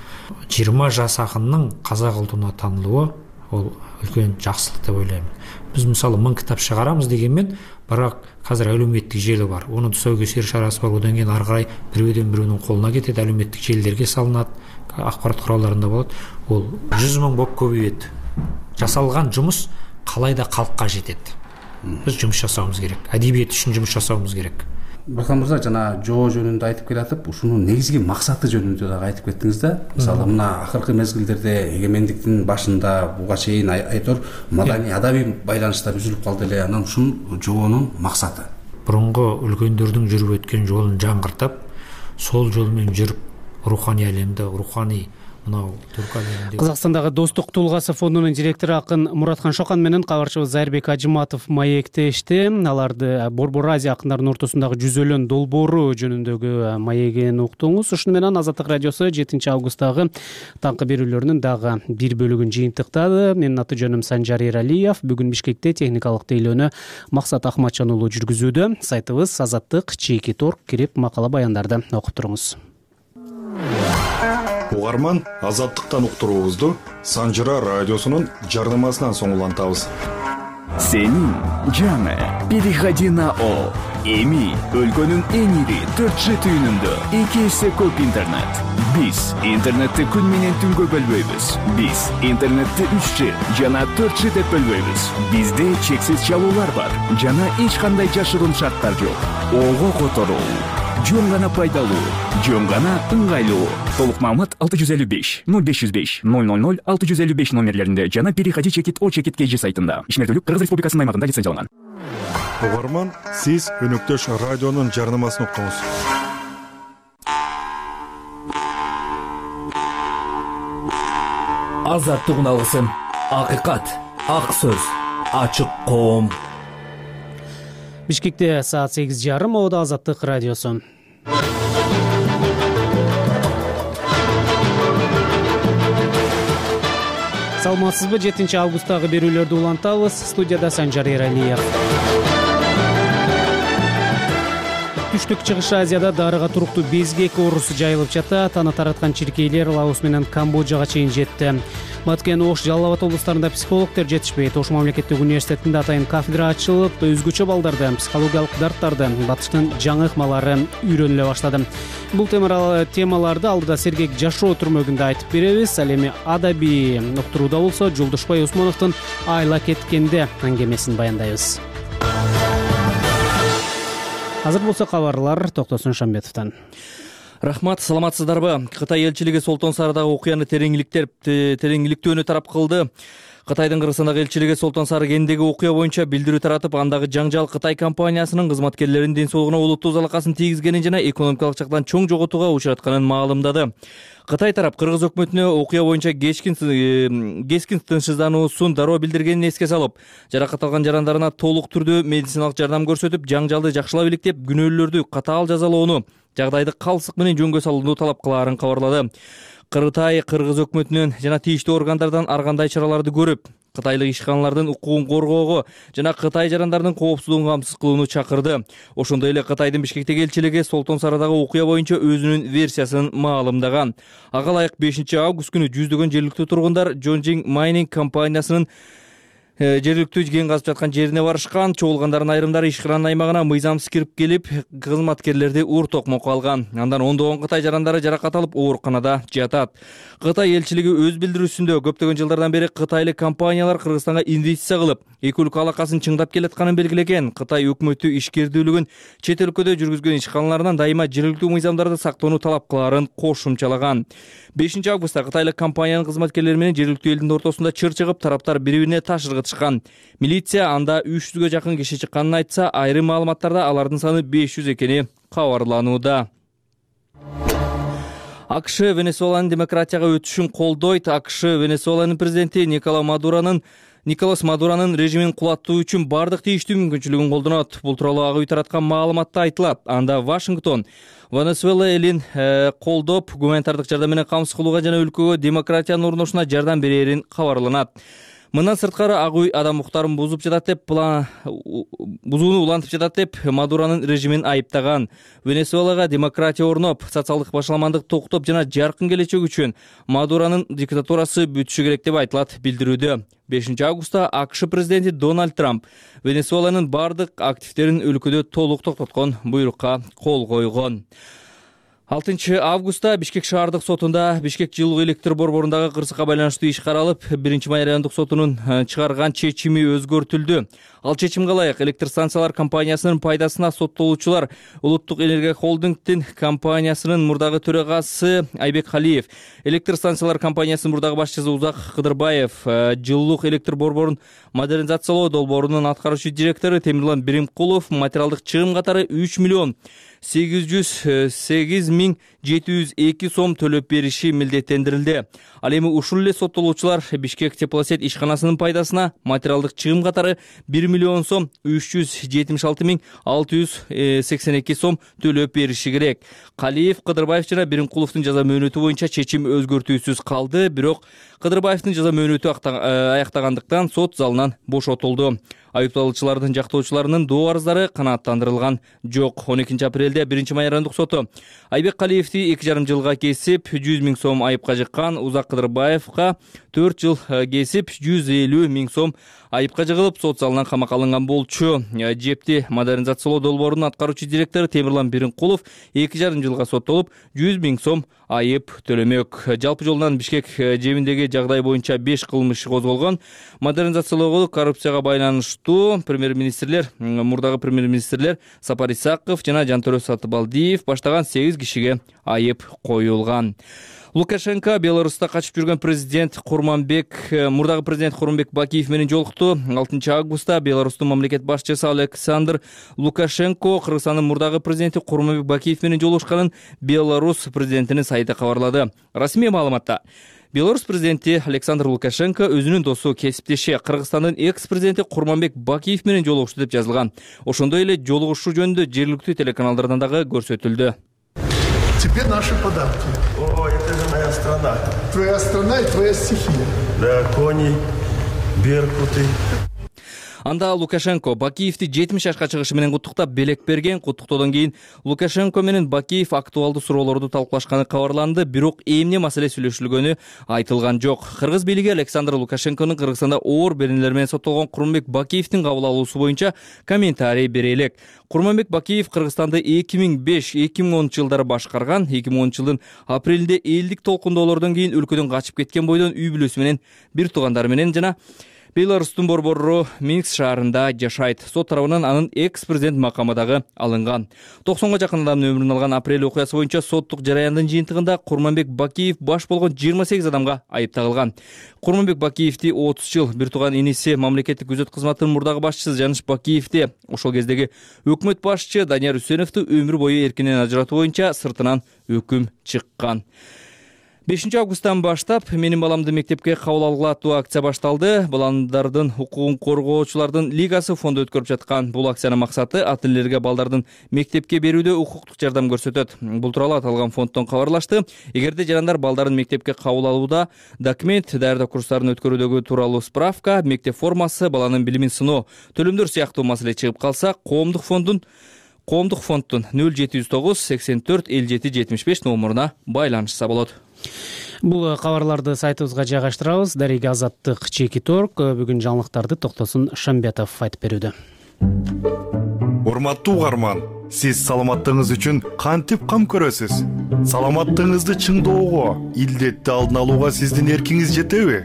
20 жас ақынның қазақ ұлтына танылуы ол үлкен жақсылық деп ойлаймын. Біз мысалы 1000 кітап шығарамыз дегенмен, бірақ қазір әлеуметтік желі бар, оның тұсаукесер шарасы бар, одан кейін ары қарай біреуден біреудің қолына кетеді, әлеуметтік желілерге салынады, ақпарат құралдарында болады. Ол 100 000 болып көбейеді. Жасалған жұмыс қалай да халыққа жетеді. Біз жұмыс жасауымыз керек, әдебиет үшін жұмыс жасауымыз керек. Мурхан мырза, жана жоо жөнүндө айтып келатып, ушунун негизги максаты жөнүндө дагы айтып кеттиңиз да. Мисалы мына акыркы мезгилдерде эгемендиктин башында буга чейин айтор маданий адабий байланыштар үзүлүп калды эле. Анан ушул жоонун максаты мурунку үлкөндөрдүн жүрүп өткөн жолун жаңгыртып, сол жол менен жүрүп, руханий әлемде, руханий Казакстандагы Достук Тулгасы фондунун директору акын Муратхан Шокан менен кабарчыбыз Зайырбек Ажыматов маектешти. Аларды Борбор Азия акындарынын ортосундагы жүзөлөн долбоору жөнүндөгү маегин уктуңуз. Ушуну менен Азаттык радиосу 7 августтагы таңкы берүүлөрүнүн дагы бир бөлүгүн жыйынтыктады. Менин аты жөнүм Санжар Эралиев. Бүгүн Бишкекте техникалык тейлөөнү Максат Ахматжан уулу жүргүзүүдө. Сайтыбыз Азаттык /торг кирип макала баяндарды окуп туруңуз. Угарман, Азаттыктан уктуруубузду Санжыра радиосунун жарнамасынан соң улантабыз. Сенин жаңы переходи на О. Эми өлкөнүн эң ири 4G түйүнүндө 2 эсе көп интернет. Биз интернетти күн менен түнгө бөлбөйбүз. Биз интернетти 3G жана 4G деп бөлбөйбүз. Бизде чексиз чалуулар бар жана эч кандай жашыруун шарттар жок. Ого которуу, жөн гана пайдалуу, жөн гана ыңгайлуу. Толук маалымат 655 0505 000 655 номерлеринде жана переходи чекит о чекит KG сайтында. Ишмердүүлүк Кыргыз Республикасынын аймагында лицензияланган. Угарман, сиз өнөктөш радионун жарнамасын уктуңуз. Азаттык алгысым, акыйкат, ак сөз, ачык коом. Бишкекте саат 8:30, Ода Азаттык радиосу. Саламатсызбы? 7 августтагы берүүлөрдү улантабыз. Студияда Санжар Эралиев. Түштүк Чыгыш Азияда дарыга туруктуу безгек оорусу жайылып жатат. Аны тараткан чиркейлер Лаос менен Камбоджага чейин жетти. Баткен, Ош, Жалал Абад облустарында психологдор жетишпейт. Ош мамлекеттик университетинде атайын кафедра ачылып, өзгөчө балдарды, психологиялык дарттарды, батыштын жаңы ыкмалары үйрөнүлө баштады. Бул темаларды алдыда сергек жашоо түрмөгүндө айтып беребиз. Ал эми адабий уктурууда болсо Жолдошбай Усмановдун Айла кеткенде аңгемесин баяндайбыз. Азыр болсо кабарлар Токтосун Шамбетовдон. Рахмат, саламатсыздарбы? Кытай элчилиги Солтон Сарыдагы окуяны тереңиликтөөнү тарап кылды. Кытайдын Кыргызстандагы элчилиги Солтон Сары кенидеги окуя боюнча билдирүү таратып, андагы жаңжал Кытай компаниясынын кызматкерлеринин ден соолугуна олуттуу залакасын тийгизгенин жана экономикалык жактан чоң жоготууга учратканын маалымдады. Кытай тарап Кыргыз өкмөтүнө окуя боюнча кескин тынчсыздануусун дароо билдиргенин эске салып, жаракат алган жарандарына толук түрдө медициналык жардам көрсөтүп, жаңжалды жакшылап иликтеп, күнөөлүүлөрдү катаал жазалоону, жагдайды калсык менен жөнгө салууну талап кылаарын кабарлады. Кытай Кыргыз өкмөтүнөн жана тийиштүү органдардан ар кандай чараларды көрүп, кытайлык ишканалардын укугун коргоого жана Кытай жарандарынын коопсуздугун камсыз кылууну чакырды. Ошондой эле Кытайдын Бишкектеги элчилиги Солтон Сарыдагы окуя боюнча өзүнүн версиясын маалымдаган. Ага ылайык 5 август күнү жүздөгөн жергиликтүү тургундар Джонжинг Майнинг компаниясынын жергиликтүү кен казып жаткан жерине барышкан. Чогулгандардын айрымдары ишкананын аймагына мыйзамсыз кирип келип, кызматкерлерди ур токмокко алган. Андан ондогон Кытай жарандары жаракат алып, ооруканада жатат. Кытай элчилиги өз билдирүүсүндө көптөгөн жылдардан бери кытайлык компаниялар Кыргызстанга инвестиция кылып, эки өлкө алакасын чыңдап келатканын белгилеген. Кытай өкмөтү ишкердүүлүгүн чет өлкөдө жүргүзгөн ишканаларынан дайыма жергиликтүү мыйзамдарды сактоону талап кылаарын кошумчалаган. 5 августта кытайлык компаниянын кызматкерлери менен жергиликтүү элдин ортосунда чыр чыгып, тараптар бири-бирине таш ыргытышкан. Милиция анда 300гө жакын киши чыкканын айтса, айрым маалыматтарда алардын саны 500 экени кабарланууда. АКШ Венесуэланын демократияга өтүшүн колдойт. АКШ Венесуэланын президенти Николас Мадуранын режимин кулаттуу үчүн бардык тийиштүү мүмкүнчүлүгүн колдонот. Бул тууралуу ак үй тараткан маалыматта айтылат. Анда Вашингтон Венесуэла элин колдоп, гуманитардык жардам менен камсыз кылууга жана өлкөгө демократиянын орношуна жардам берерин кабарланат. Мындан сырткары ак үй адам укуктарын бузууну улантып жатат деп Мадуранын режимин айыптаган. Венесуэлага демократия орноп, социалдык башаламандык токтоп жана жаркын келечек үчүн Мадуранын диктатурасы бүтүшү керек деп айтылат билдирүүдө. 5 августта АКШ президенти Дональд Трамп Венесуэланын бардык активдерин өлкөдө толук токтоткон буйрукка кол койгон. 6 августта Бишкек шаардык сотунда Бишкек жылуу электр борборундагы кырсыкка байланыштуу иш каралып, 1-май райондук сотунун чыгарган чечими өзгөртүлдү. Ал чечимге ылайык электр станциялар компаниясынын пайдасына соттолуучулар Улуттук энергия холдингдин компаниясынын мурдагы төрагасы Айбек Халиев, электр станциялар компаниясынын мурдагы башчысы Узак Кыдырбаев, жылуулук электр борборун модернизациялоо долбоорунун аткаруучу директору Темирлан Биримкулов материалдык чыгым катары 3.808.702 сом төлөп бериши милдеттендирилди. Ал эми ушул эле соттолуучулар Бишкек теплосет ишканасынын пайдасына материалдык чыгым катары 1.376.682 сом төлөп бериши керек. Калиев, Кыдырбаев жана Биримкуловдун жаза мөөнөтү боюнча чечим өзгөртүүсүз калды, бирок Кыдырбаевдин жаза мөөнөтү аяктагандыктан сот залынан бошотулду. Айыпталуучулардын жактоочуларынын доо арыздары канааттандырылган жок. 12 апрелде 1 майрандык соту Айбек Калиевди 2,5 жылга кесип 100 000 сом айыпка жыккан, Узак Кыдырбаевга 4 жыл кесип 150 000 сом айыпка жыгылып, сот залынан камакка алынган болчу. Жепти модернизациялоо долбоорунун аткаруучу директору Темирлан Биринкулов 2,5 жылга соттолуп, 100 000 сом айып төлөмөк. Жалпы жолунан Бишкек жебиндеги жагдай боюнча 5 кылмыш козголгон. Модернизациялоого коррупцияга байланыштуу мурдагы премьер-министрлер Сапар Исаков жана Жантөрө Сатыбалдиев баштаган 8 кишиге айып коюлган. Лукашенко Беларуста качып жүргөн мурдагы президент Курманбек Бакиев менен жолукту. 6 августта Беларустун мамлекет башчысы Александр Лукашенко Кыргызстандын мурдагы президенти Курманбек Бакиев менен жолугушканын Беларусь президентинин сайты кабарлады. Расмий маалыматта Беларусь президенти Александр Лукашенко өзүнүн досу, кесиптеши Кыргызстандын экс-президенти Курманбек Бакиев менен жолугушту деп жазылган. Ошондой эле жолугушуу жөнүндө жергиликтүү телеканалдардан дагы көрсөтүлдү. Теперь наши подарки. О, это же моя страна. Твоя страна и твоя стихия. Да, кони, беркуты. Анда Лукашенко Бакиевди 70 жашка чыгышы менен куттуктап белек берген. Куттуктоодон кийин Лукашенко менен Бакиев актуалдуу суроолорду талкуулашканы кабарланды, бирок эмне маселе сүйлөшүлгөнү айтылган жок. Кыргыз бийлиги Александр Лукашенконун Кыргызстанда оор беренелер менен соттолгон Курманбек Бакиевдин кабыл алуусу боюнча комментарий бере элек. Курманбек Бакиев Кыргызстанды 2005-2010 жылдары башкарган. 2010 жылдын апрелинде элдик толкундоолордон кийин өлкөдөн качып кеткен бойдон үй бүлөсү менен, бир туугандары менен жана Беларустун борбору Минск шаарында жашайт. Сот тарабынан анын экс-президент макамы дагы алынган. 90га жакын адамдын өмүрүн алган апрель окуясы боюнча соттук жараяндын жыйынтыгында Курманбек Бакиев баш болгон 28 адамга айып тагылган. Курманбек Бакиевди 30 жыл бир тууган иниси мамлекеттик күзөт кызматынын мурдагы башчысы Жаныш Бакиевди ошол кездеги өкмөт башчы Данияр Үсеновду өмүр бою эркинен ажыратуу боюнча сыртынан өкүм чыккан. 5 августтан баштап менин баламды мектепке кабыл алгыла аттуу акция башталды. Баландардын укугун коргоочулардын лигасы фонду өткөрүп жаткан бул акциянын максаты ата-энелерге балдардын мектепке берүүдө укуктук жардам көрсөтөт. Бул тууралуу аталган фонддон кабарлашты. Эгерде жарандар балдарын мектепке кабыл алууда документ, даярдоо курстарын өткөрүүдөгү тууралуу справка, мектеп формасы, баланын билимин сыноо, төлөмдөр сыяктуу маселе чыгып калса, коомдук фонддун 0709 84 57 75 номуруна байланышса болот. Бул кабарларды сайтыбызга жайгаштырабыз. Дарега Азаттык чеки торг. Бүгүн жаңылыктарды Токтосун Шамбетов айтып берүүдө. Урматтуу угарман, сиз саламаттыгыңыз үчүн кантип кам көрөсүз? Саламаттыгыңызды чыңдоого, илдетти алдын алууга сиздин эркиңиз жетеби?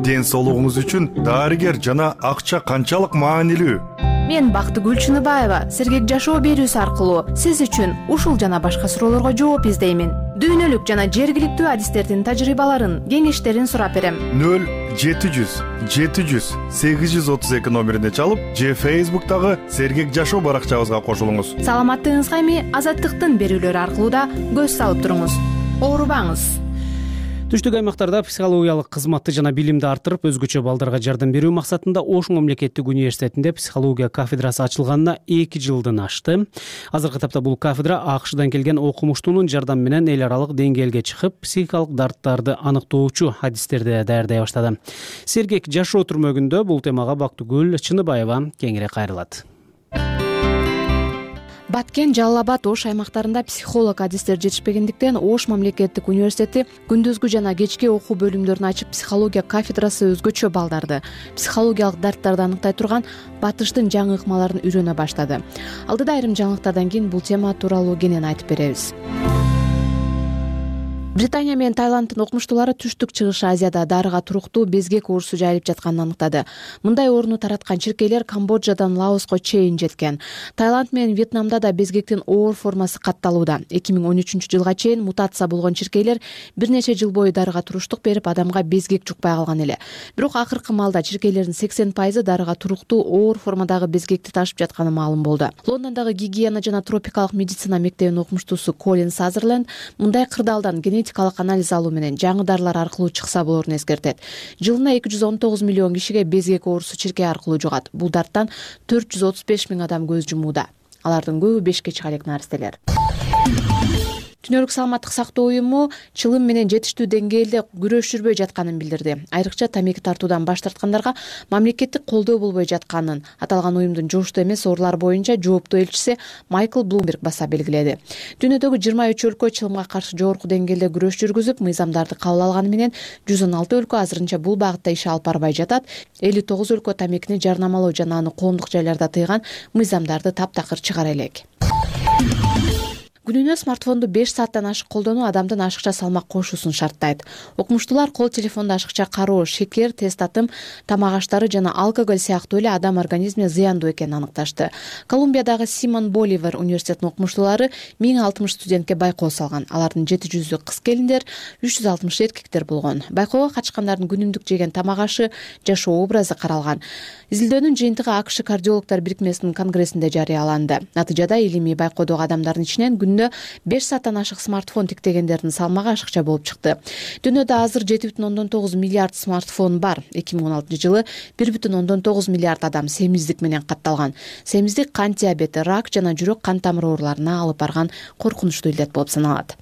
Ден соолугуңуз үчүн дарыгер жана акча канчалык маанилүү? Мен Бактыгүл Чыныбаева сергек жашоо берүүсү аркылуу сиз үчүн ушул жана башка суроолорго жооп издеймин. Дүйнөлүк жана жергиликтүү адистердин тажрыйбаларын, кеңештерин сурап берем. 0700-700-832 номерине чалып, же Facebook'тагы сергек жашоо баракчабызга кошулуңуз. Саламаттыгыңызга эми Азаттыктын берүүлөрү аркылуу да көз салып туруңуз. Оорубаңыз. Түштүк аймактарда психологиялык кызматты жана билимди арттырып, өзгөчө балдарга жардам берүү максатында Ош мамлекеттик университетинде психология кафедрасы ачылганына 2 жылдан ашты. Азыркы тапта бул кафедра АКШдан келген окумуштуунун жардамы менен эл аралык деңгээлге чыгып, психикалык дарттарды аныктоочу адистерди даярдай баштады. Сергек жашоо түрмөгүндө бул темага Бактыгүл Чыныбаева кеңири кайрылат. Баткен, Жалал Абад, Ош аймактарында психолог адистер жетишпегендиктен Ош мамлекеттик университети күндүзгү жана кечки окуу бөлүмдөрүн ачып, психология кафедрасы өзгөчө балдарды психологиялык дарттарды аныктай турган батыштын жаңы ыкмаларын үйрөнө баштады. Алдыда айрым жаңылыктардан кийин бул тема тууралуу кенен айтып беребиз. Британия менен Таиланддын окумуштуулары Түштүк Чыгыш Азияда дарыга туруктуу безгек оорусу жайылып жатканын аныктады. Мындай ооруну тараткан чиркейлер Камбоджадан Лаоско чейин жеткен. Таиланд менен Вьетнамда да безгектин оор формасы катталууда. 2013 жылга чейин мутация болгон чиркейлер бир нече жыл бою дарыга туруштук берип, адамга безгек жукпай калган эле. Бирок акыркы маалда чиркейлердин 80% дарыга туруктуу оор формадагы безгекти ташып жатканы маалым болду. Лондондогу гигиена жана тропикалык медицина мектебинин окумуштуусу Колин Сазерленд мындай кырдаалдан генетикалык анализ алуу менен жаңы дарылар аркылуу чыкса болорун эскертет. Жылына 219 миллион кишиге безгек оорусу чиркей аркылуу жугат. Бул дарттан 435 миң адам көз жумууда. Алардын көбү 5 чыга элек наристелер. Дүйнөлүк саламаттык сактоо уюму чылым менен жетиштүү деңгээлде күрөш жүрбөй жатканын билдирди. Айрыкча тамеки тартуудан баш тарткандарга мамлекеттик колдоо болбой жатканын аталган уюмдун жугуштуу эмес оорулар боюнча жооптуу элчиси Майкл Блумберг баса белгиледи. Дүйнөдөгү 23 өлкө чылымга каршы жогорку деңгээлде күрөш жүргүзүп, мыйзамдарды кабыл алганы менен 116 өлкө азырынча бул багытта иш алып барбай жатат. 59 өлкө тамекини жарнамалоо жана аны коомдук жайларда тыйган мыйзамдарды таптакыр чыгара элек. Күнүнө смартфонду 5 сааттан ашык колдонуу адамдын ашыкча салмак кошуусун шарттайт. Окумуштуулар кол телефонду ашыкча кароо, шекер, тест татым, тамак аштары жана алкоголь сыяктуу эле адам организмине зыяндуу экенин аныкташты. Колумбиядагы Симон Боливар университетинин окумуштуулары 1060 студентке байкоо салган. Алардын 700-ü кыз келиндер, 360 эркектер болгон. Байкоого катышкандардын күнүмдүк жеген тамак ашы, жашоо образы каралган. Изилдөөнүн жыйынтыгы АКШ кардиологдор бирикмесинин конгрессинде жарыяланды. Натыйжада илимий байкоодогу адамдардын ичинен 5 сааттан ашык смартфон тиктегендердин салмагы ашыкча болуп чыкты. Дүйнөдө азыр 7,9 миллиард смартфон бар. 2016 жылы 1,9 миллиард адам семиздик менен катталган. Семиздик кант диабети, рак жана жүрөк кан тамыр ооруларына алып барган коркунучтуу илдет болуп саналат.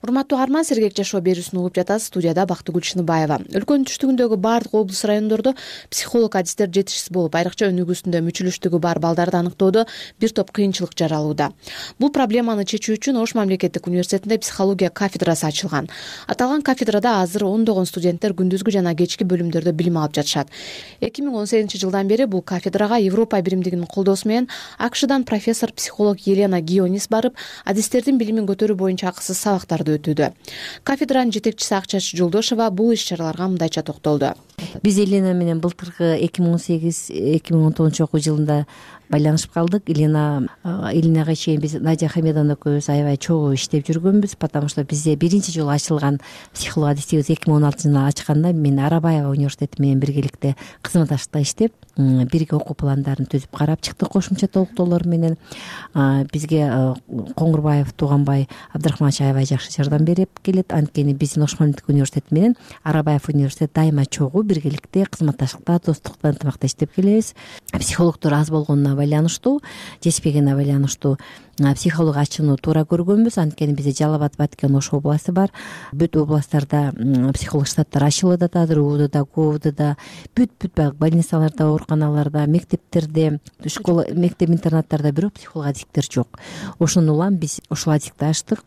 Урматтуу Арман, сергек жашоо берүүсүн угуп жатасыз. Студияда Бактыгүл Шыныбаева. Өлкөнүн түштүгүндөгү бардык облус райондордо психолог адистер жетишсиз болуп, айрыкча өнүгүүсүндө мүчүлүштүгү бар балдарды аныктоодо бир топ кыйынчылык жаралууда. Бул проблеманы чечүү үчүн Ош мамлекеттик университетинде психология кафедрасы ачылган. Аталган кафедрада азыр ондогон студенттер күндүзгү жана кечки бөлүмдөрдө билим алып жатышат. 2018 жылдан бери бул кафедрага Европа биримдигинин колдоосу менен АКШдан профессор психолог Елена Гионис барып, адистердин билимин көтөрүү боюнча акысыз сабактарды өтүүдө. Кафедранын жетекчиси Акчач Жолдошова бул иш-чараларга мындайча токтолду. Биз Елена менен былтыркы 2018-2019 окуу жылында байланышып калдык. Еленага чейин биз Надя Хамедовна экөөбүз аябай чогуу иштеп жүргөнбүз, потому что бизде биринчи жолу ачылган психолог адистигибиз 2016 жылы ачканда мен Арабаева университети менен биргеликте кызматташтыкта иштеп, бирге окуу пландарын түзүп карап чыктык кошумча толуктоолор менен. Бизге Коңгурбаев Тууганбай Абдрахманович аябай жакшы жардам берип келет. Анткени биздин Ош мамлекеттик университети менен Арабаев университети дайыма чогуу биргеликте кызматташтыкта, достукта, ынтымакта иштеп келебиз. Психологдор аз болгонуна байланыштуу, жетишпегенине байланыштуу психолог ачууну туура көргөнбүз. Анткени бизде Жалал Абад, Баткен, Ош областы бар. Бүт областтарда психолог штаттар ачылып атат. Азыр УУДда, КОВДда, бүт больницаларда, ооруканаларда, мектептерде, школа, мектеп-интернаттарда бирок психолог адистиктер жок. Ошону улам биз ушул адистикти ачтык.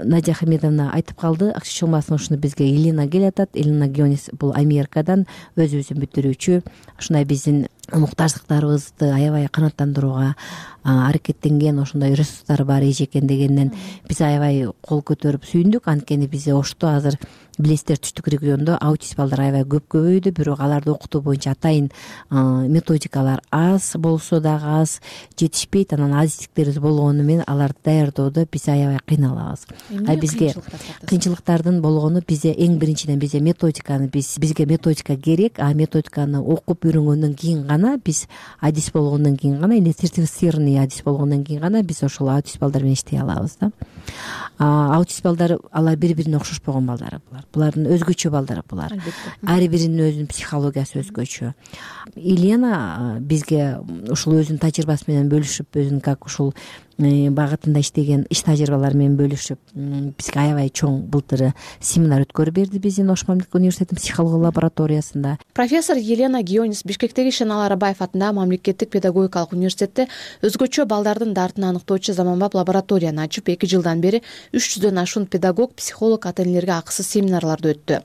Надя Хамедовна айтып калды, акча чоңбасын ушуну бизге Елена келатат. Елена Гионис бул Америкадан өзүбүздүн бүтүрүүчү. Ушундай биздин муктаждыктарыбызды аябай канааттандырууга аракеттенген, ошондой ресурстары бар эжекен дегенден биз аябай кол көтөрүп сүйүндүк. Анткени бизде Ошто азыр билесиздер, түштүк региондо аутист балдар аябай көп көбөйдү, бирок аларды окутуу боюнча атайын методикалар аз болсо дагы аз жетишпейт. Анан адистиктерибиз болгону менен аларды даярдоодо биз аябай кыйналабыз. Бизге кыйынчылыктардын болгону бизде эң биринчиден бизде методиканы бизге методика керек, методиканы окуп үйрөнгөндөн кийин гана биз адис болгондон кийин гана, или сертифицированный адис болгондон кийин гана биз ошол аутист балдар менен иштей алабыз да. Аутист балдар алар бири-бирине окшошпогон балдар булар. Булардын өзгөчө балдары булар. Ар биринин өзүнүн психологиясы өзгөчө. Елена бизге ушул өзүнүн тажрыйбасы менен бөлүшүп, өзүнүн как ушул багытында иштеген иш тажрыйбалары менен бөлүшүп, бизге аябай чоң былтыр семинар өткөрүп берди биздин Ош мамлекеттик университетинин психология лабораториясында. Профессор Елена Гионис Бишкектеги Шенал Арабаев атындагы мамлекеттик педагогикалык университетте өзгөчө балдардын дартын аныктоочу заманбап лабораторияны ачып, 2 жылдан бери 300дөн ашуун педагог, психолог ата-энелерге акысыз семинарларды өттү.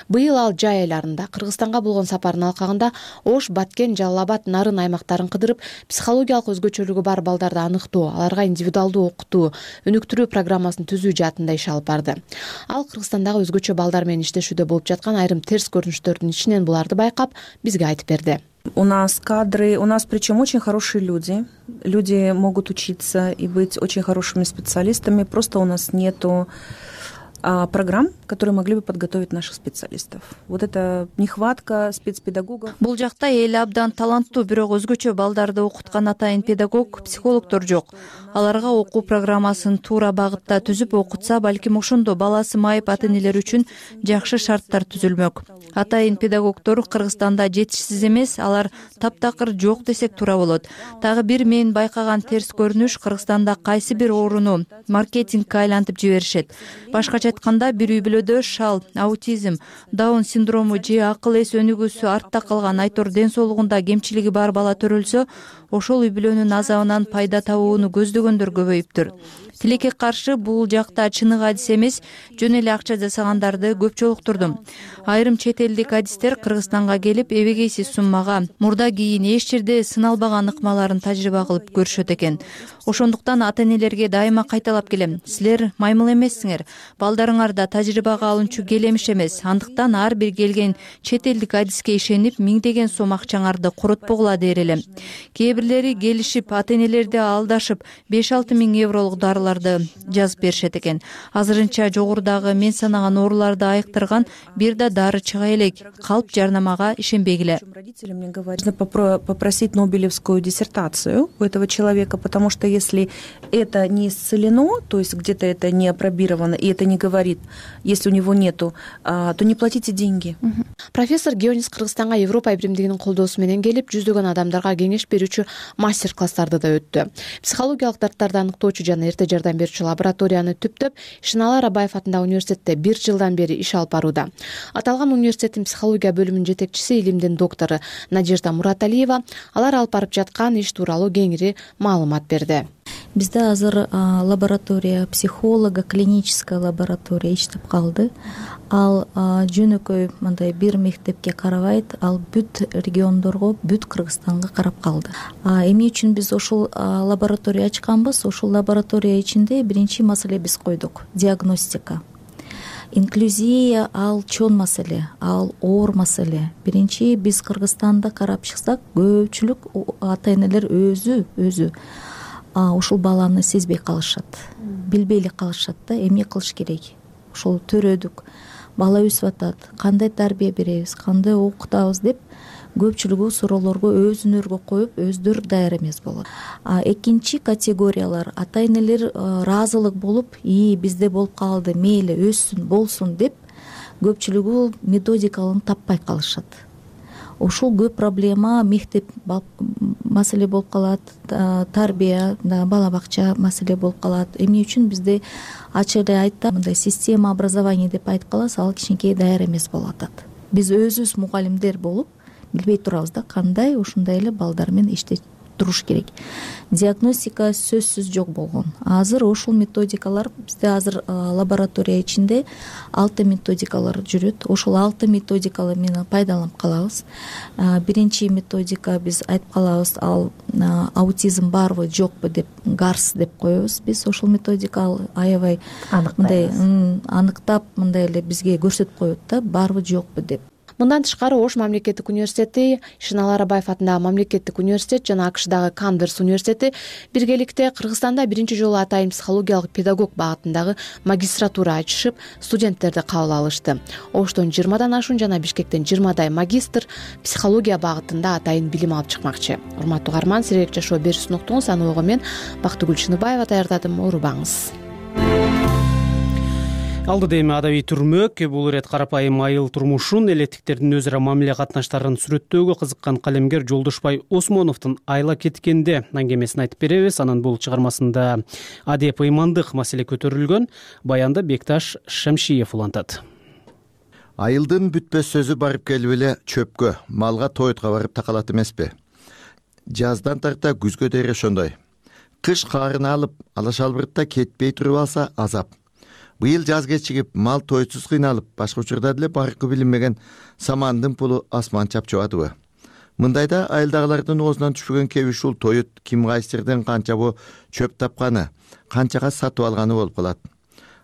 Быйыл ал жай айларында Кыргызстанга болгон сапарынын алкагында Ош, Баткен, Жалал Абад, Нарын аймактарын кыдырып, психологиялык өзгөчөлүгү бар балдарды аныктоо, аларга индивидуалдуу окутуу, өнүктүрүү программасын түзүү жаатында иш алып барды. Ал Кыргызстандагы өзгөчө балдар менен иштешүүдө болуп жаткан айрым терс көрүнүштөрдүн ичинен буларды байкап, бизге айтып берди. У нас кадры, у нас причем очень хорошие люди. Люди могут учиться и быть очень хорошими специалистами. Просто у нас нету программ, которые могли бы подготовить наших специалистов. Вот это нехватка спецпедагогов. Бул жакта эли абдан таланттуу, бирок өзгөчө балдарды окуткан атайын педагог, психологдор жок. Аларга окуу программасын туура багытта түзүп окутса, балким ошондо баласы майып ата-энелер үчүн жакшы шарттар түзүлмөк. Атайын педагогдор Кыргызстанда жетишсиз эмес, алар таптакыр жок десек туура болот. Дагы бир мен байкаган терс көрүнүш, Кыргызстанда кайсы бир ооруну маркетингке айлантып жиберишет. Башкача айтканда, бир үй бүлөдө шал, аутизм, даун синдрому же акыл эс өнүгүүсү артта калган, айтор ден соолугунда кемчилиги бар бала төрөлсө, ошол үй бүлөнүн азабынан пайда табууну көздөгөндөр көбөйүптүр. Тилекке каршы бул жакта чыныгы адис эмес, жөн эле акча жасагандарды көп жолуктурдум. Айрым чет элдик адистер Кыргызстанга келип, эбегейсиз суммага мурда кийин эч жерде сыналбаган ыкмаларын тажрыйба кылып көрүшөт экен. Ошондуктан ата-энелерге дайыма кайталап келем. Силер маймыл эмессиңер. Балдарыңарда тажрыйбага алынчу келемиш эмес. Андыктан ар бир келген чет элдик адиске ишенип, миңдеген сом акчаңарды коротпогула дер элем. Кээ бирлери келишип, ата-энелерди алдашып, 5-6 миң евролук дарыларды жазып беришет экен. Азырынча жогорудагы мен санаган ооруларды айыктырган бир да дары чыга элек. Калп жарнамага ишенбегиле. Родителям мне говорят, нужно попросить Нобелевскую диссертацию у этого человека, потому что если это не исцелено, то есть где-то это не апробировано, и это не говорит, если у него нету, то не платите деньги. Профессор Геонис Кыргызстанга Европа биримдигинин колдоосу менен келип, жүздөгөн адамдарга кеңеш берүүчү мастер-класстарды да өттү. Психологиялык дарттарды аныктоочу жана эрте жардам берүүчү лабораторияны түптөп, Шыналар Абаев атындагы университетте 1 жылдан бери иш алып барууда. Аталган университеттин психология бөлүмүнүн жетекчиси, илимдин доктору Надежда Мураталиева алар алып барып жаткан иш тууралуу кеңири маалымат берди. Бизде азыр лаборатория, психолога, клиническая лаборатория иштеп калды. Ал жөнөкөй мындай бир мектепке карабайт, ал бүт региондорго, бүт Кыргызстанга карап калды. Эмне үчүн биз ошол лаборатория ачканбыз? Ошол лаборатория ичинде биринчи маселе биз койдук — диагностика. Инклюзия ал чоң маселе, ал оор маселе. Биринчи биз Кыргызстанда карап чыксак, көпчүлүк ата-энелер өзү ушул баланы сезбей калышат, билбей эле калышат да, эмне кылыш керек. Ошол төрөдүк, бала өсүп атат, кандай тарбия беребиз, кандай окутабыз деп көпчүлүгү суроолорго өзүнөргө коюп, өздөрү даяр эмес болот. Экинчи категориялар ата-энелер ыраазылык болуп, бизде болуп калды, мейли өссүн, болсун деп көпчүлүгү методикаларын таппай калышат. Ушул көп проблема, мектеп маселе болуп калат, тарбия, бала бакча маселе болуп калат. Эмне үчүн бизде ачык эле айтта, мындай система образования деп айтып калабыз, ал кичинекей даяр эмес болуп атат. Биз өзүбүз мугалимдер болуп билбей турабыз да, кандай ушундай эле балдар менен иштеп туруш керек. Диагностика сөзсүз жок болгон. Азыр ушул методикалар бизде азыр лаборатория ичинде 6 методикалар жүрөт. Ошол 6 методикалы менен пайдаланып калабыз. Биринчи методика биз айтып калабыз, ал аутизм барбы, жокпу деп, гарс деп коебуз. Биз ошол методика аябай мындай аныктап, мындай эле бизге көрсөтүп коет да, барбы, жокпу деп. Мындан тышкары Ош мамлекеттик университети, Шыналар Абаев атындагы мамлекеттик университет жана АКШдагы Канберс университети биргеликте Кыргызстанда биринчи жолу атайын психологиялык педагог багытындагы магистратура ачышып, студенттерди кабыл алышты. Оштон 20дан ашуун жана Бишкектен 20дай магистр психология багытында атайын билим алып чыкмакчы. Урматтуу угарман, сирек жашоо берүүсүн уктуңуз. Аны ого мен Бактыгүл Чыныбаева даярдадым. Оорубаңыз. Алдыда эми адабий түрмөк. Бул ирет карапайым айыл турмушун, элеттиктердин өзара мамиле катнаштарын сүрөттөөгө кызыккан калемгер Жолдошбай Осмоновдун Айла кеткенде аңгемесин айтып беребиз. Анан бул чыгармасында адеп ыймандык маселе көтөрүлгөн. Баянды Бекташ Шамшиев улантат. Айылдын бүтпөс сөзү барып келип эле чөпкө, малга тойтко барып такалат эмеспи? Жаздан тарта күзгө дейин ошондой. Кыш каарына алып, алашалбыртта кетпей туруп алса азап. Быйыл жаз кечигип, мал тойсуз кыйналып, башка учурда деле баркы билинмеген самандын пулу асман чапчыбадыбы? Мындайда айылдагылардын оозунан түшпөгөн кеби ушул тоют ким кайсырдын канчабы чөп тапканы, канчага сатып алганы болуп калат.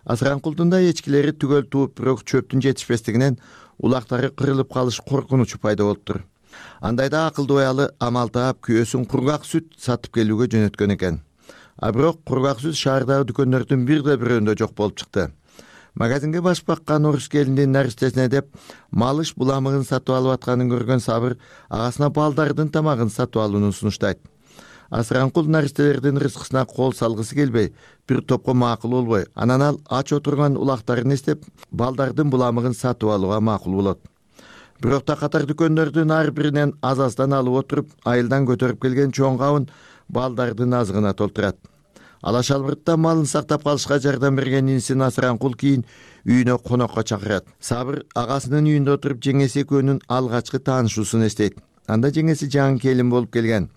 Асыранкулдунда эчкилери түгөл тууп, бирок чөптүн жетишпестигинен улактары кырылып калыш коркунучу пайда болуптур. Андайда акылдуу аялы амал таап күйөөсүн кургак сүт сатып келүүгө жөнөткөн экен. А бирок кургак сүт шаардагы дүкөндөрдүн бирде бирөөндө жок болуп чыкты. Магазинге баш баккан орус келиндин наристесине деп малыш буламыгын сатып алып атканын көргөн Сабыр агасына балдардын тамагын сатып алууну сунуштайт. Асыранкул наристелердин рызкысына кол салгысы келбей, бир топко макул болбой, анан ал ач отурган улактарын эстеп, балдардын буламыгын сатып алууга макул болот. Бирок катар дүкөндөрдүн ар биринен аз-аздан алып отуруп, айылдан көтөрүп келген чоң кабын балдардын азыгына толтурат. Алаш албыртта малын сактап калышка жардам берген инисин Асыранкул кийин үйүнө конокко чакырат. Сабыр агасынын үйүндө отуруп жеңеси экөөнүн алгачкы таанышуусун эстейт. Анда жеңеси жаңы келин болуп келген.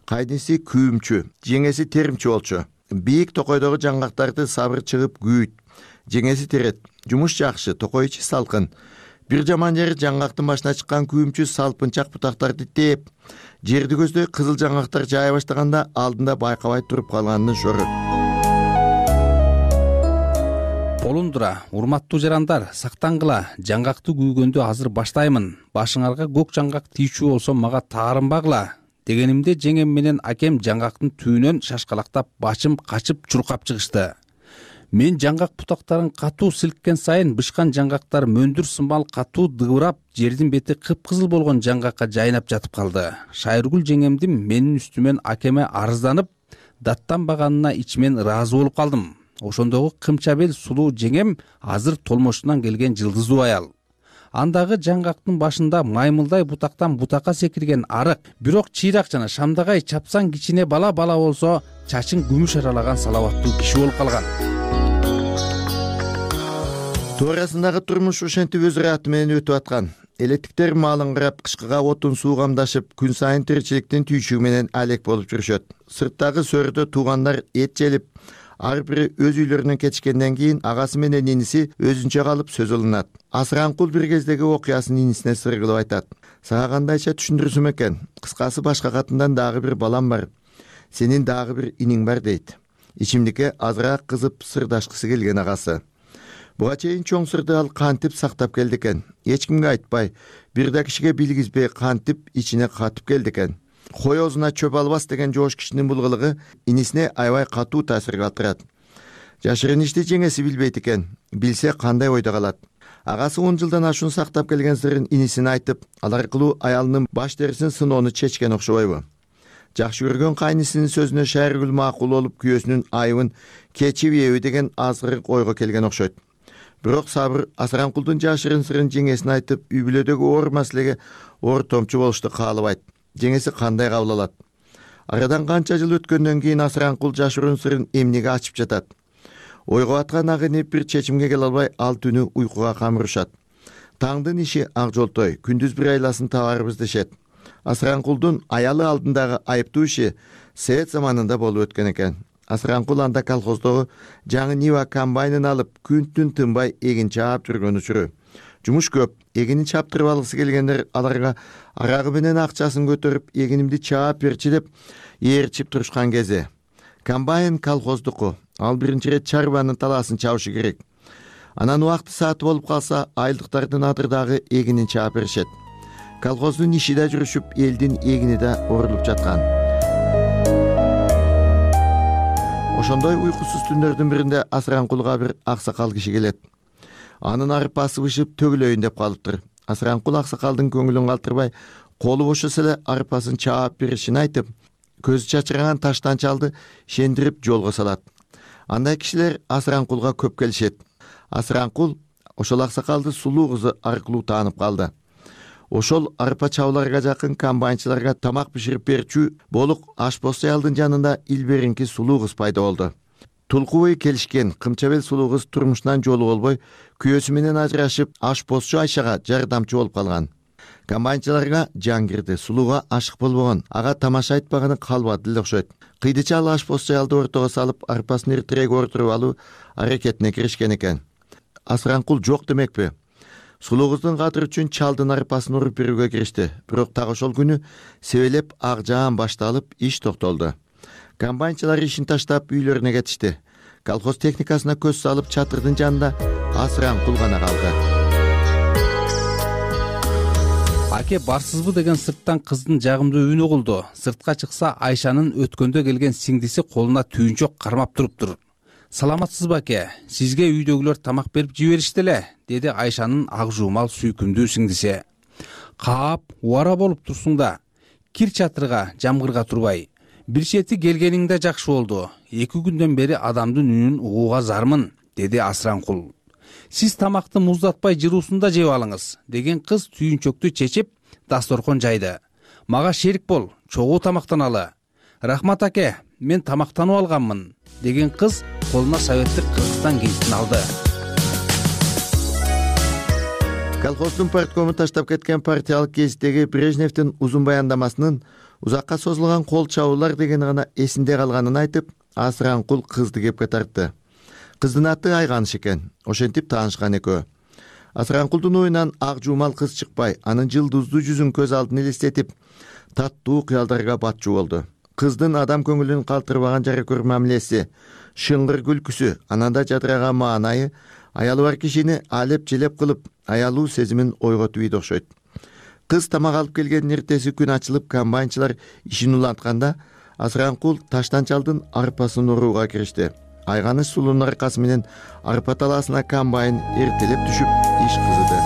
Кайниси күйүмчү, жеңеси теримчи болчу. Бийик токойдогу жаңгактарды Сабыр чыгып күйүт. Жеңеси терет. Жумуш жакшы, токой ичи салкын. Бир жаман жери жаңгактын башына чыккан күйүмчү салпынчак бутактарды тээп, жерди көздөй кызыл жаңгактар жая баштаганда алдында байкабай туруп калганын шорот. Болундура, урматтуу жарандар, сактангыла, жаңгакты күйгөндү азыр баштаймын. Башыңарга көк жаңгак тийчү болсо мага таарынбагыла. Дегенимде жеңем менен акем жаңгактын түбүнөн шашкалактап башым качып чуркап чыгышты. Мен жаңгак бутактарын катуу силккен сайын бышкан жаңгактар мөндүр сымал катуу дыбырап, жердин бети кыпкызыл болгон жаңгакка жайнап жатып калды. Шайыргүл жеңемдин менин үстүмөн акеме арызданып, даттанбаганына ичимен ыраазы болуп калдым. Ошондогу кымчабел сулуу жеңем азыр толмошунан келген жылдыздуу аял. Андагы жаңгактын башында маймылдай бутактан бутакка секирген арык, бирок чыйрак жана шамдагай чапсан кичине бала болсо, чачын күмүш аралаган салабаттуу киши болуп калган. Туурасындагы турмуш ошентип өз ыраты менен өтүп аткан. Элеттиктер малын карап, кышкыга отун суу камдашып, күн сайын тиричиликтин түйчүгү менен алек болуп жүрүшөт. Сырттагы сөрдө туугандар эт желип, ар бири өз үйлөрүнө кетишкенден кийин агасы менен иниси өзүнчө калып сөз алынат. Асыранкул бир кездеги окуясын инисине сыр кылып айтат. Сага кандайча түшүндүрсөм экен? Кыскасы башка катындан дагы бир балам бар. Сенин дагы бир иниң бар дейт. Ичимдикке азыраак кызып сырдашкысы келген агасы. Буга чейин чоң сырды ал кантип сактап келди экен. Эч кимге айтпай, бир да кишиге билгизбей кантип ичине катып келди экен. Кой оозуна чөп албас деген жоош кишинин бул кылыгы инисине аябай катуу таасир калтырат. Жашырын ишти жеңеси билбейт экен. Билсе кандай ойдо калат. Агасы 10 жылдан ашуун сактап келген сырын инисине айтып, ал аркылуу аялынын баш терисин сыноону чечкен окшобойбу? Жакшы көргөн кайнысынын сөзүнө Шайыргүл макул болуп, күйөөсүнүн айыбын кечибеби деген азгырык ойго келген окшойт. Бирок Сабыр Асыранкулдун жашырын сырын жеңесине айтып, үй бүлөдөгү оор маселеге ортомчу болушту каалабайт. Жеңеси кандай кабыл алат? Арадан канча жыл өткөндөн кийин Асыранкул жашырын сырын эмнеге ачып жатат? Ойго аткан ак инип бир чечимге келе албай, ал түнү уйкуга камырышат. Таңдын иши ак жолтой, күндүз бир айласын табарбыз дешет. Асыранкулдун аялы алдындагы айыптуу иши Совет заманында болуп өткөн экен. Асыранкул анда колхоздогу жаңы Нива комбайнын алып, күн-түн тынбай эгин чаап жүргөн учуру. Жумуш көп, эгинин чаптырып алгысы келгендер аларга арагы менен акчасын көтөрүп, эгинимди чаап берчи деп ээрчип турушкан кези. Комбайн колхоздуку, ал биринчи ирет чарбанын талаасын чабышы керек. Анан убакты сааты болуп калса, айылдыктардын адырдагы эгинин чаап беришет. Колхоздун иши да жүрүшүп, элдин эгини да орулуп жаткан. Ошондой уйкусуз түндөрдүн биринде Асыранкулга бир аксакал киши келет. Анын арпасы бышып төгүлөйүн деп калыптыр. Асыранкул аксакалдын көңүлүн калтырбай, колу бошосо эле арпасын чаап беришин айтып, көзү чачыраган таштанчалды шендирип жолго салат. Андай кишилер Асыранкулга көп келишет. Асыранкул ошол аксакалды сулуу кызы аркылуу таанып калды. Ошол арпа чабууларга жакын комбайнчыларга тамак биширип берчү болук ашпоз аялдын жанында илберинки сулуу кыз пайда болду. Тулкубай келишкен кымчабел сулуу кыз турмушунан жолу болбой, күйөөсү менен ажырашып, ашпозчу Айшага жардамчы болуп калган. Комбайнчыларга жан кирди, сулууга ашык болбогон, ага тамаша айтпаганы калбады эле окшойт. Кыйдыча ал ашпозчу аялды ортого салып, арпасын эртерээк ортуруп алуу аракетине киришкен экен. Асыранкул жок демекпи? Сулуу кыздын кадыры үчүн чалдын арпасын уруп берүүгө киришти. Бирок так ошол күнү себелеп ак жаан башталып, иш токтолду. Комбайнчылар ишин таштап үйлөрүнө кетишти. Колхоз техникасына көз салып, чатырдын жанында Асыранкул гана калды. Аке барсызбы деген сырттан кыздын жагымдуу үнү угулду. Сыртка чыкса Айшанын өткөндө келген сиңдиси колуна түйүнчөк кармап туруптур. Саламатсызбы аке? Сизге үйдөгүлөр тамак берип жиберишти эле, деди Айшанын ак жуумал сүйкүмдүү сиңдиси. Каап, убара болуп турсуң да. Кир чатырга, жамгырга турбай. Бир чети келгениңде жакшы болду. 2 күндөн бери адамдын үнүн угууга зармын, деди Асранкул. Сиз тамакты муздатпай жыруусунда жеп алыңыз, деген кыз түйүнчөктү чечип, дасторкон жайды. Мага шерик бол, чогуу тамактаналы. Рахмат аке, мен тамактанып алганмын, деген кыз колуна советтик Кыргызстан гезитин алды. Колхоздун парткому таштап кеткен партиялык гезиттеги Брежневдин узун баяндамасынын узакка созулган кол чабуулар деген гана эсинде калганын айтып, Асранкул кызды кепке тартты. Кыздын аты Айганыш экен, ошентип таанышкан экөө. Асранкулдун оюнан ак жуумал кыз чыкпай, анын жылдыздуу жүзүн көз алдына элестетип, таттуу кыялдарга батчу болду. Кыздын адам көңүлүн калтырбаган жаракөр мамилеси, шыңгыр күлкүсү, ананда жадыраган маанайы аялы бар кишини алеп-желеп кылып, аялуу сезимин ойготуп ийди окшойт. Кыз тамак алып келгендин эртеси күн ачылып, комбайнчылар ишин улантканда, Асранкул Таштанчалдын арпасын урууга киришти. Айганыш сулуунун аркасы менен арпа талаасына комбайн эртелеп түшүп, иш кызыды.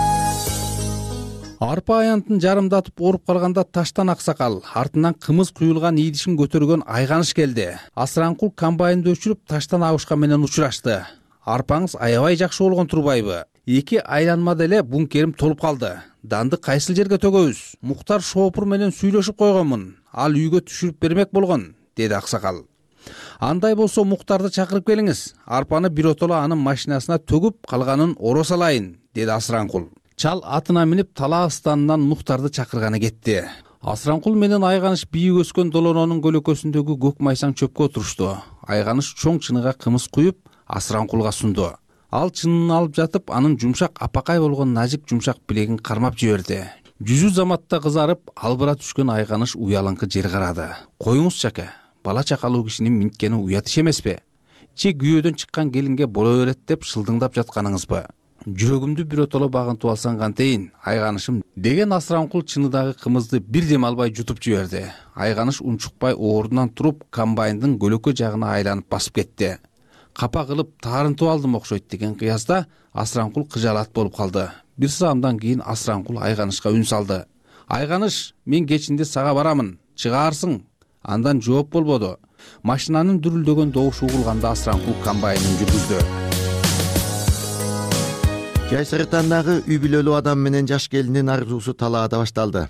Арпа аянтын жарымдатып оруп калганда Таштан аксакал, артынан кымыз куюлган ийдишин көтөргөн Айганыш келди. Асранкул комбайнды өчүрүп Таштан абышка менен учурашты. Арпаңыз аябай жакшы болгон турбайбы? 2 айланмада эле бункерим толуп калды. Данды кайсыл жерге төгөбүз? Муктар шоопур менен сүйлөшүп койгонмун. Ал үйгө түшүрүп бермек болгон, деди аксакал. Андай болсо Муктарды чакырып келиңиз. Арпаны биротоло анын машинасына төгүп, калганын оро салайын, деди Асранкул. Чал атына минип талаа станынан Муктарды чакырганы кетти. Асранкул менен Айганыш бийик өскөн долононун көлөкөсүндөгү көк майсаң чөпкө отурушту. Айганыш чоң чыныга кымыз куюп, Асранкулга сунду. Ал чынын алып жатып, анын жумшак апакай болгон назик жумшак билегин кармап жиберди. Жүзү заматта кызарып, албыра түшкөн Айганыш уялыңкы жер карады. Коюңузчу аке, бала чакалуу кишинин минткени уят иш эмеспи? Че күйөөдөн чыккан келинге боло берет деп шылдыңдап жатканыңызбы? Жүрөгүмдү биротоло багынтып алсаң кантейин, Айганышым, деген Асранкул чыныдагы кымызды бир дем албай жутуп жиберди. Айганыш унчукпай ордунан туруп, комбайндын көлөкө жагына айланып басып кетти. Капа кылып таарынтып алдым окшойт деген кыязда Асранкул кыжаалат болуп калды. Бир саамдан кийин Асранкул Айганышка үн салды. Айганыш, мен кечинде сага барамын, чыгаарсың. Андан жооп болбоду. Машинанын дүрүлдөгөн добушу угулганда Асранкул комбайнын жүргүздү. Жай Сырытандагы үй бүлөлүү адам менен жаш келиндин арзуусу талаада башталды.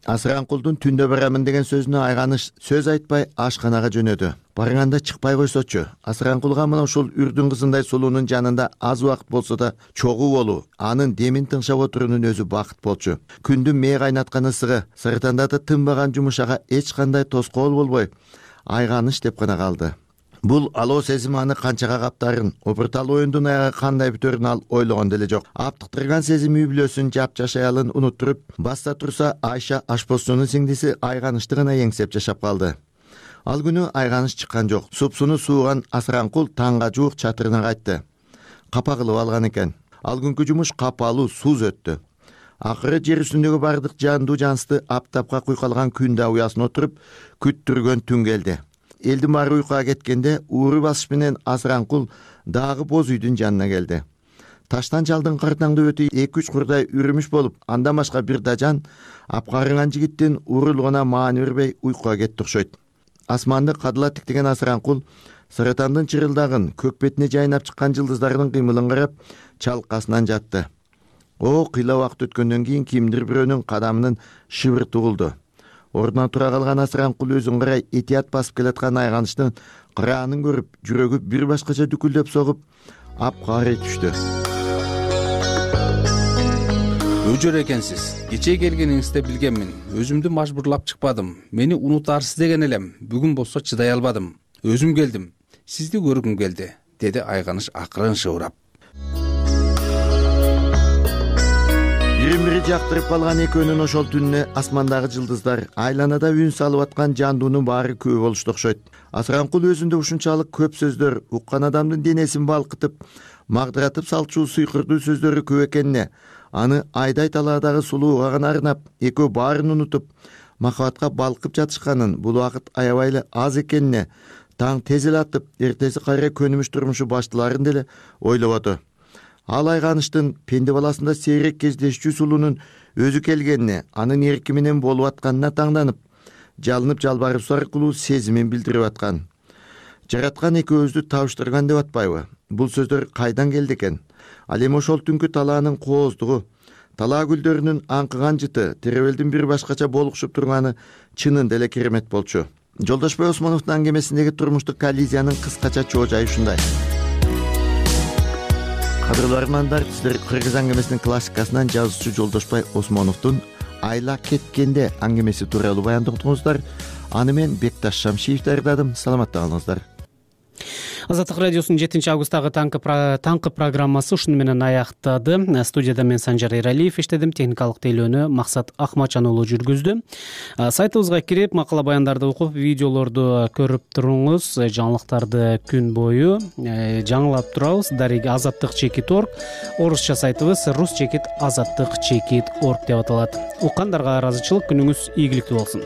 Асранкулдун түндө барамын деген сөзүнө Айганыш сөз айтпай ашканага жөнөдү. Барганда чыкпай койсочу. Асранкулга мына ушул үрдүн кызындай сулуунун жанында аз убакыт болсо да чогуу болуу, анын демин тыңшап отуруунун өзү бакыт болчу. Күндүн мээ кайнаткан ысыгы, Сырытанда тынбаган жумушага эч кандай тоскоол болбой, Айганыш деп гана калды. Бул алоо сезим аны канчага каптарын, опуртал оюндун аягы кандай бүтөрүн ал ойлогон деле жок. Аптыктырган сезим үй бүлөсүн, жапжаш аялын унуттуруп, баста турса Айша ашпозчунун сиңдиси Айганышты гана эңсеп жашап калды. Ал күнү Айганыш чыккан жок. Супсуну сууган Асранкул таңга жуук чатырына кайтты. Капа кылып алган экен. Ал күнкү жумуш капалуу сууз өттү. Акыры жер үстүндөгү бардык жандуу жансты аптапка куйкалган күн да уясын отуруп, күттүргөн түн келди. Элдин баары уйкуга кеткенде ууру басыш менен Асранкул дагы боз үйдүн жанына келди. Таштанчалдын картаңдуу өтү 2-3 курдай үрүмүш болуп, андан башка бир да жан апкарынган жигиттин урулугуна маани бербей уйкуга кетти окшойт. Асманды кадыла тиктеген Асранкул Сырытандын чырылдагын, көк бетине жайнап чыккан жылдыздардын кыймылын карап, чалкасынан жатты. Кыйла убакыт өткөндөн кийин кимдир бирөөнүн кадамынын шыбырты угулду. Ордунан тура калган Асранкул өзүн карай этият басып келаткан Айганыштын кыраанын көрүп, жүрөгү бир башкача дүкүлдөп согуп, апкаарый түштү. Өжөр экенсиз. Кечээ келгениңизде билгенмин. Өзүмдү мажбурлап чыкпадым. Мени унутарсыз деген элем. Бүгүн болсо чыдай албадым. Өзүм келдим. Сизди көргүм келди, деди Айганыш акырын шыбырап. Бири жактырып калган экөөнүн ошол түнүнө асмандагы жылдыздар, айланада үн салып аткан жандуунун баары күбө болушту окшойт. Асранкул өзүндө ушунчалык көп сөздөр, уккан адамдын денесин балкытып, магдыратып салчу сыйкырдуу сөздөрү көп экенине, аны айдай талаадагы сулууга гана арнап, экөө баарын унутуп, махабатка балкып жатышканын, бул убакыт аябай эле аз экенине, таң тез эле атып, эртеси кайра көнүмүш турмушу башталарын деле ойлободу. Ал айганыштын пенде баласында сейрек кездешчү сулуунун өзү келгенине, анын эрки менен болуп атканына таңданып, жалынып жалбарып аркылуу сезимин билдирип аткан. Жараткан экөөбүздү табыштырган деп атпайбы? Бул сөздөр кайдан келди экен? Ал эми ошол түнкү талаанын кооздугу, талаа гүлдөрүнүн аңкыган жыты, теребелдин бир башкача болукшуп турганы чынында эле керемет болчу. Жолдошбой Осмоновдун аңгемесиндеги турмуштук коллизиянын кыскача чоо жайы ушундай. Кадырлуу армандар, сиздер Кыргыз аңгемесинин классикасынан жазуучу Жолдошбай Осмоновдун Айла кеткенде аңгемеси тууралуу баяндоңдуңуздар. Аны мен Бекташ Шамшиев даярдадым. Саламатта калыңыздар. Азаттык радиосунун 7-августтагы таңкы программасы ушуну менен аяктады. Студияда мен Санжар Эралиев иштедим, техникалык тейлөөнү Максат Акмачан уулу жүргүздү. Сайтыбызга кирип, макала баяндарды окуп, видеолорду көрүп туруңуз. Жаңылыктарды күн бою жаңылап турабыз. Дареги azattik.org, орусча сайтыбыз rus.azattik.org деп аталат. Уккандарга ыраазычылык, күнүңүз ийгиликтүү болсун.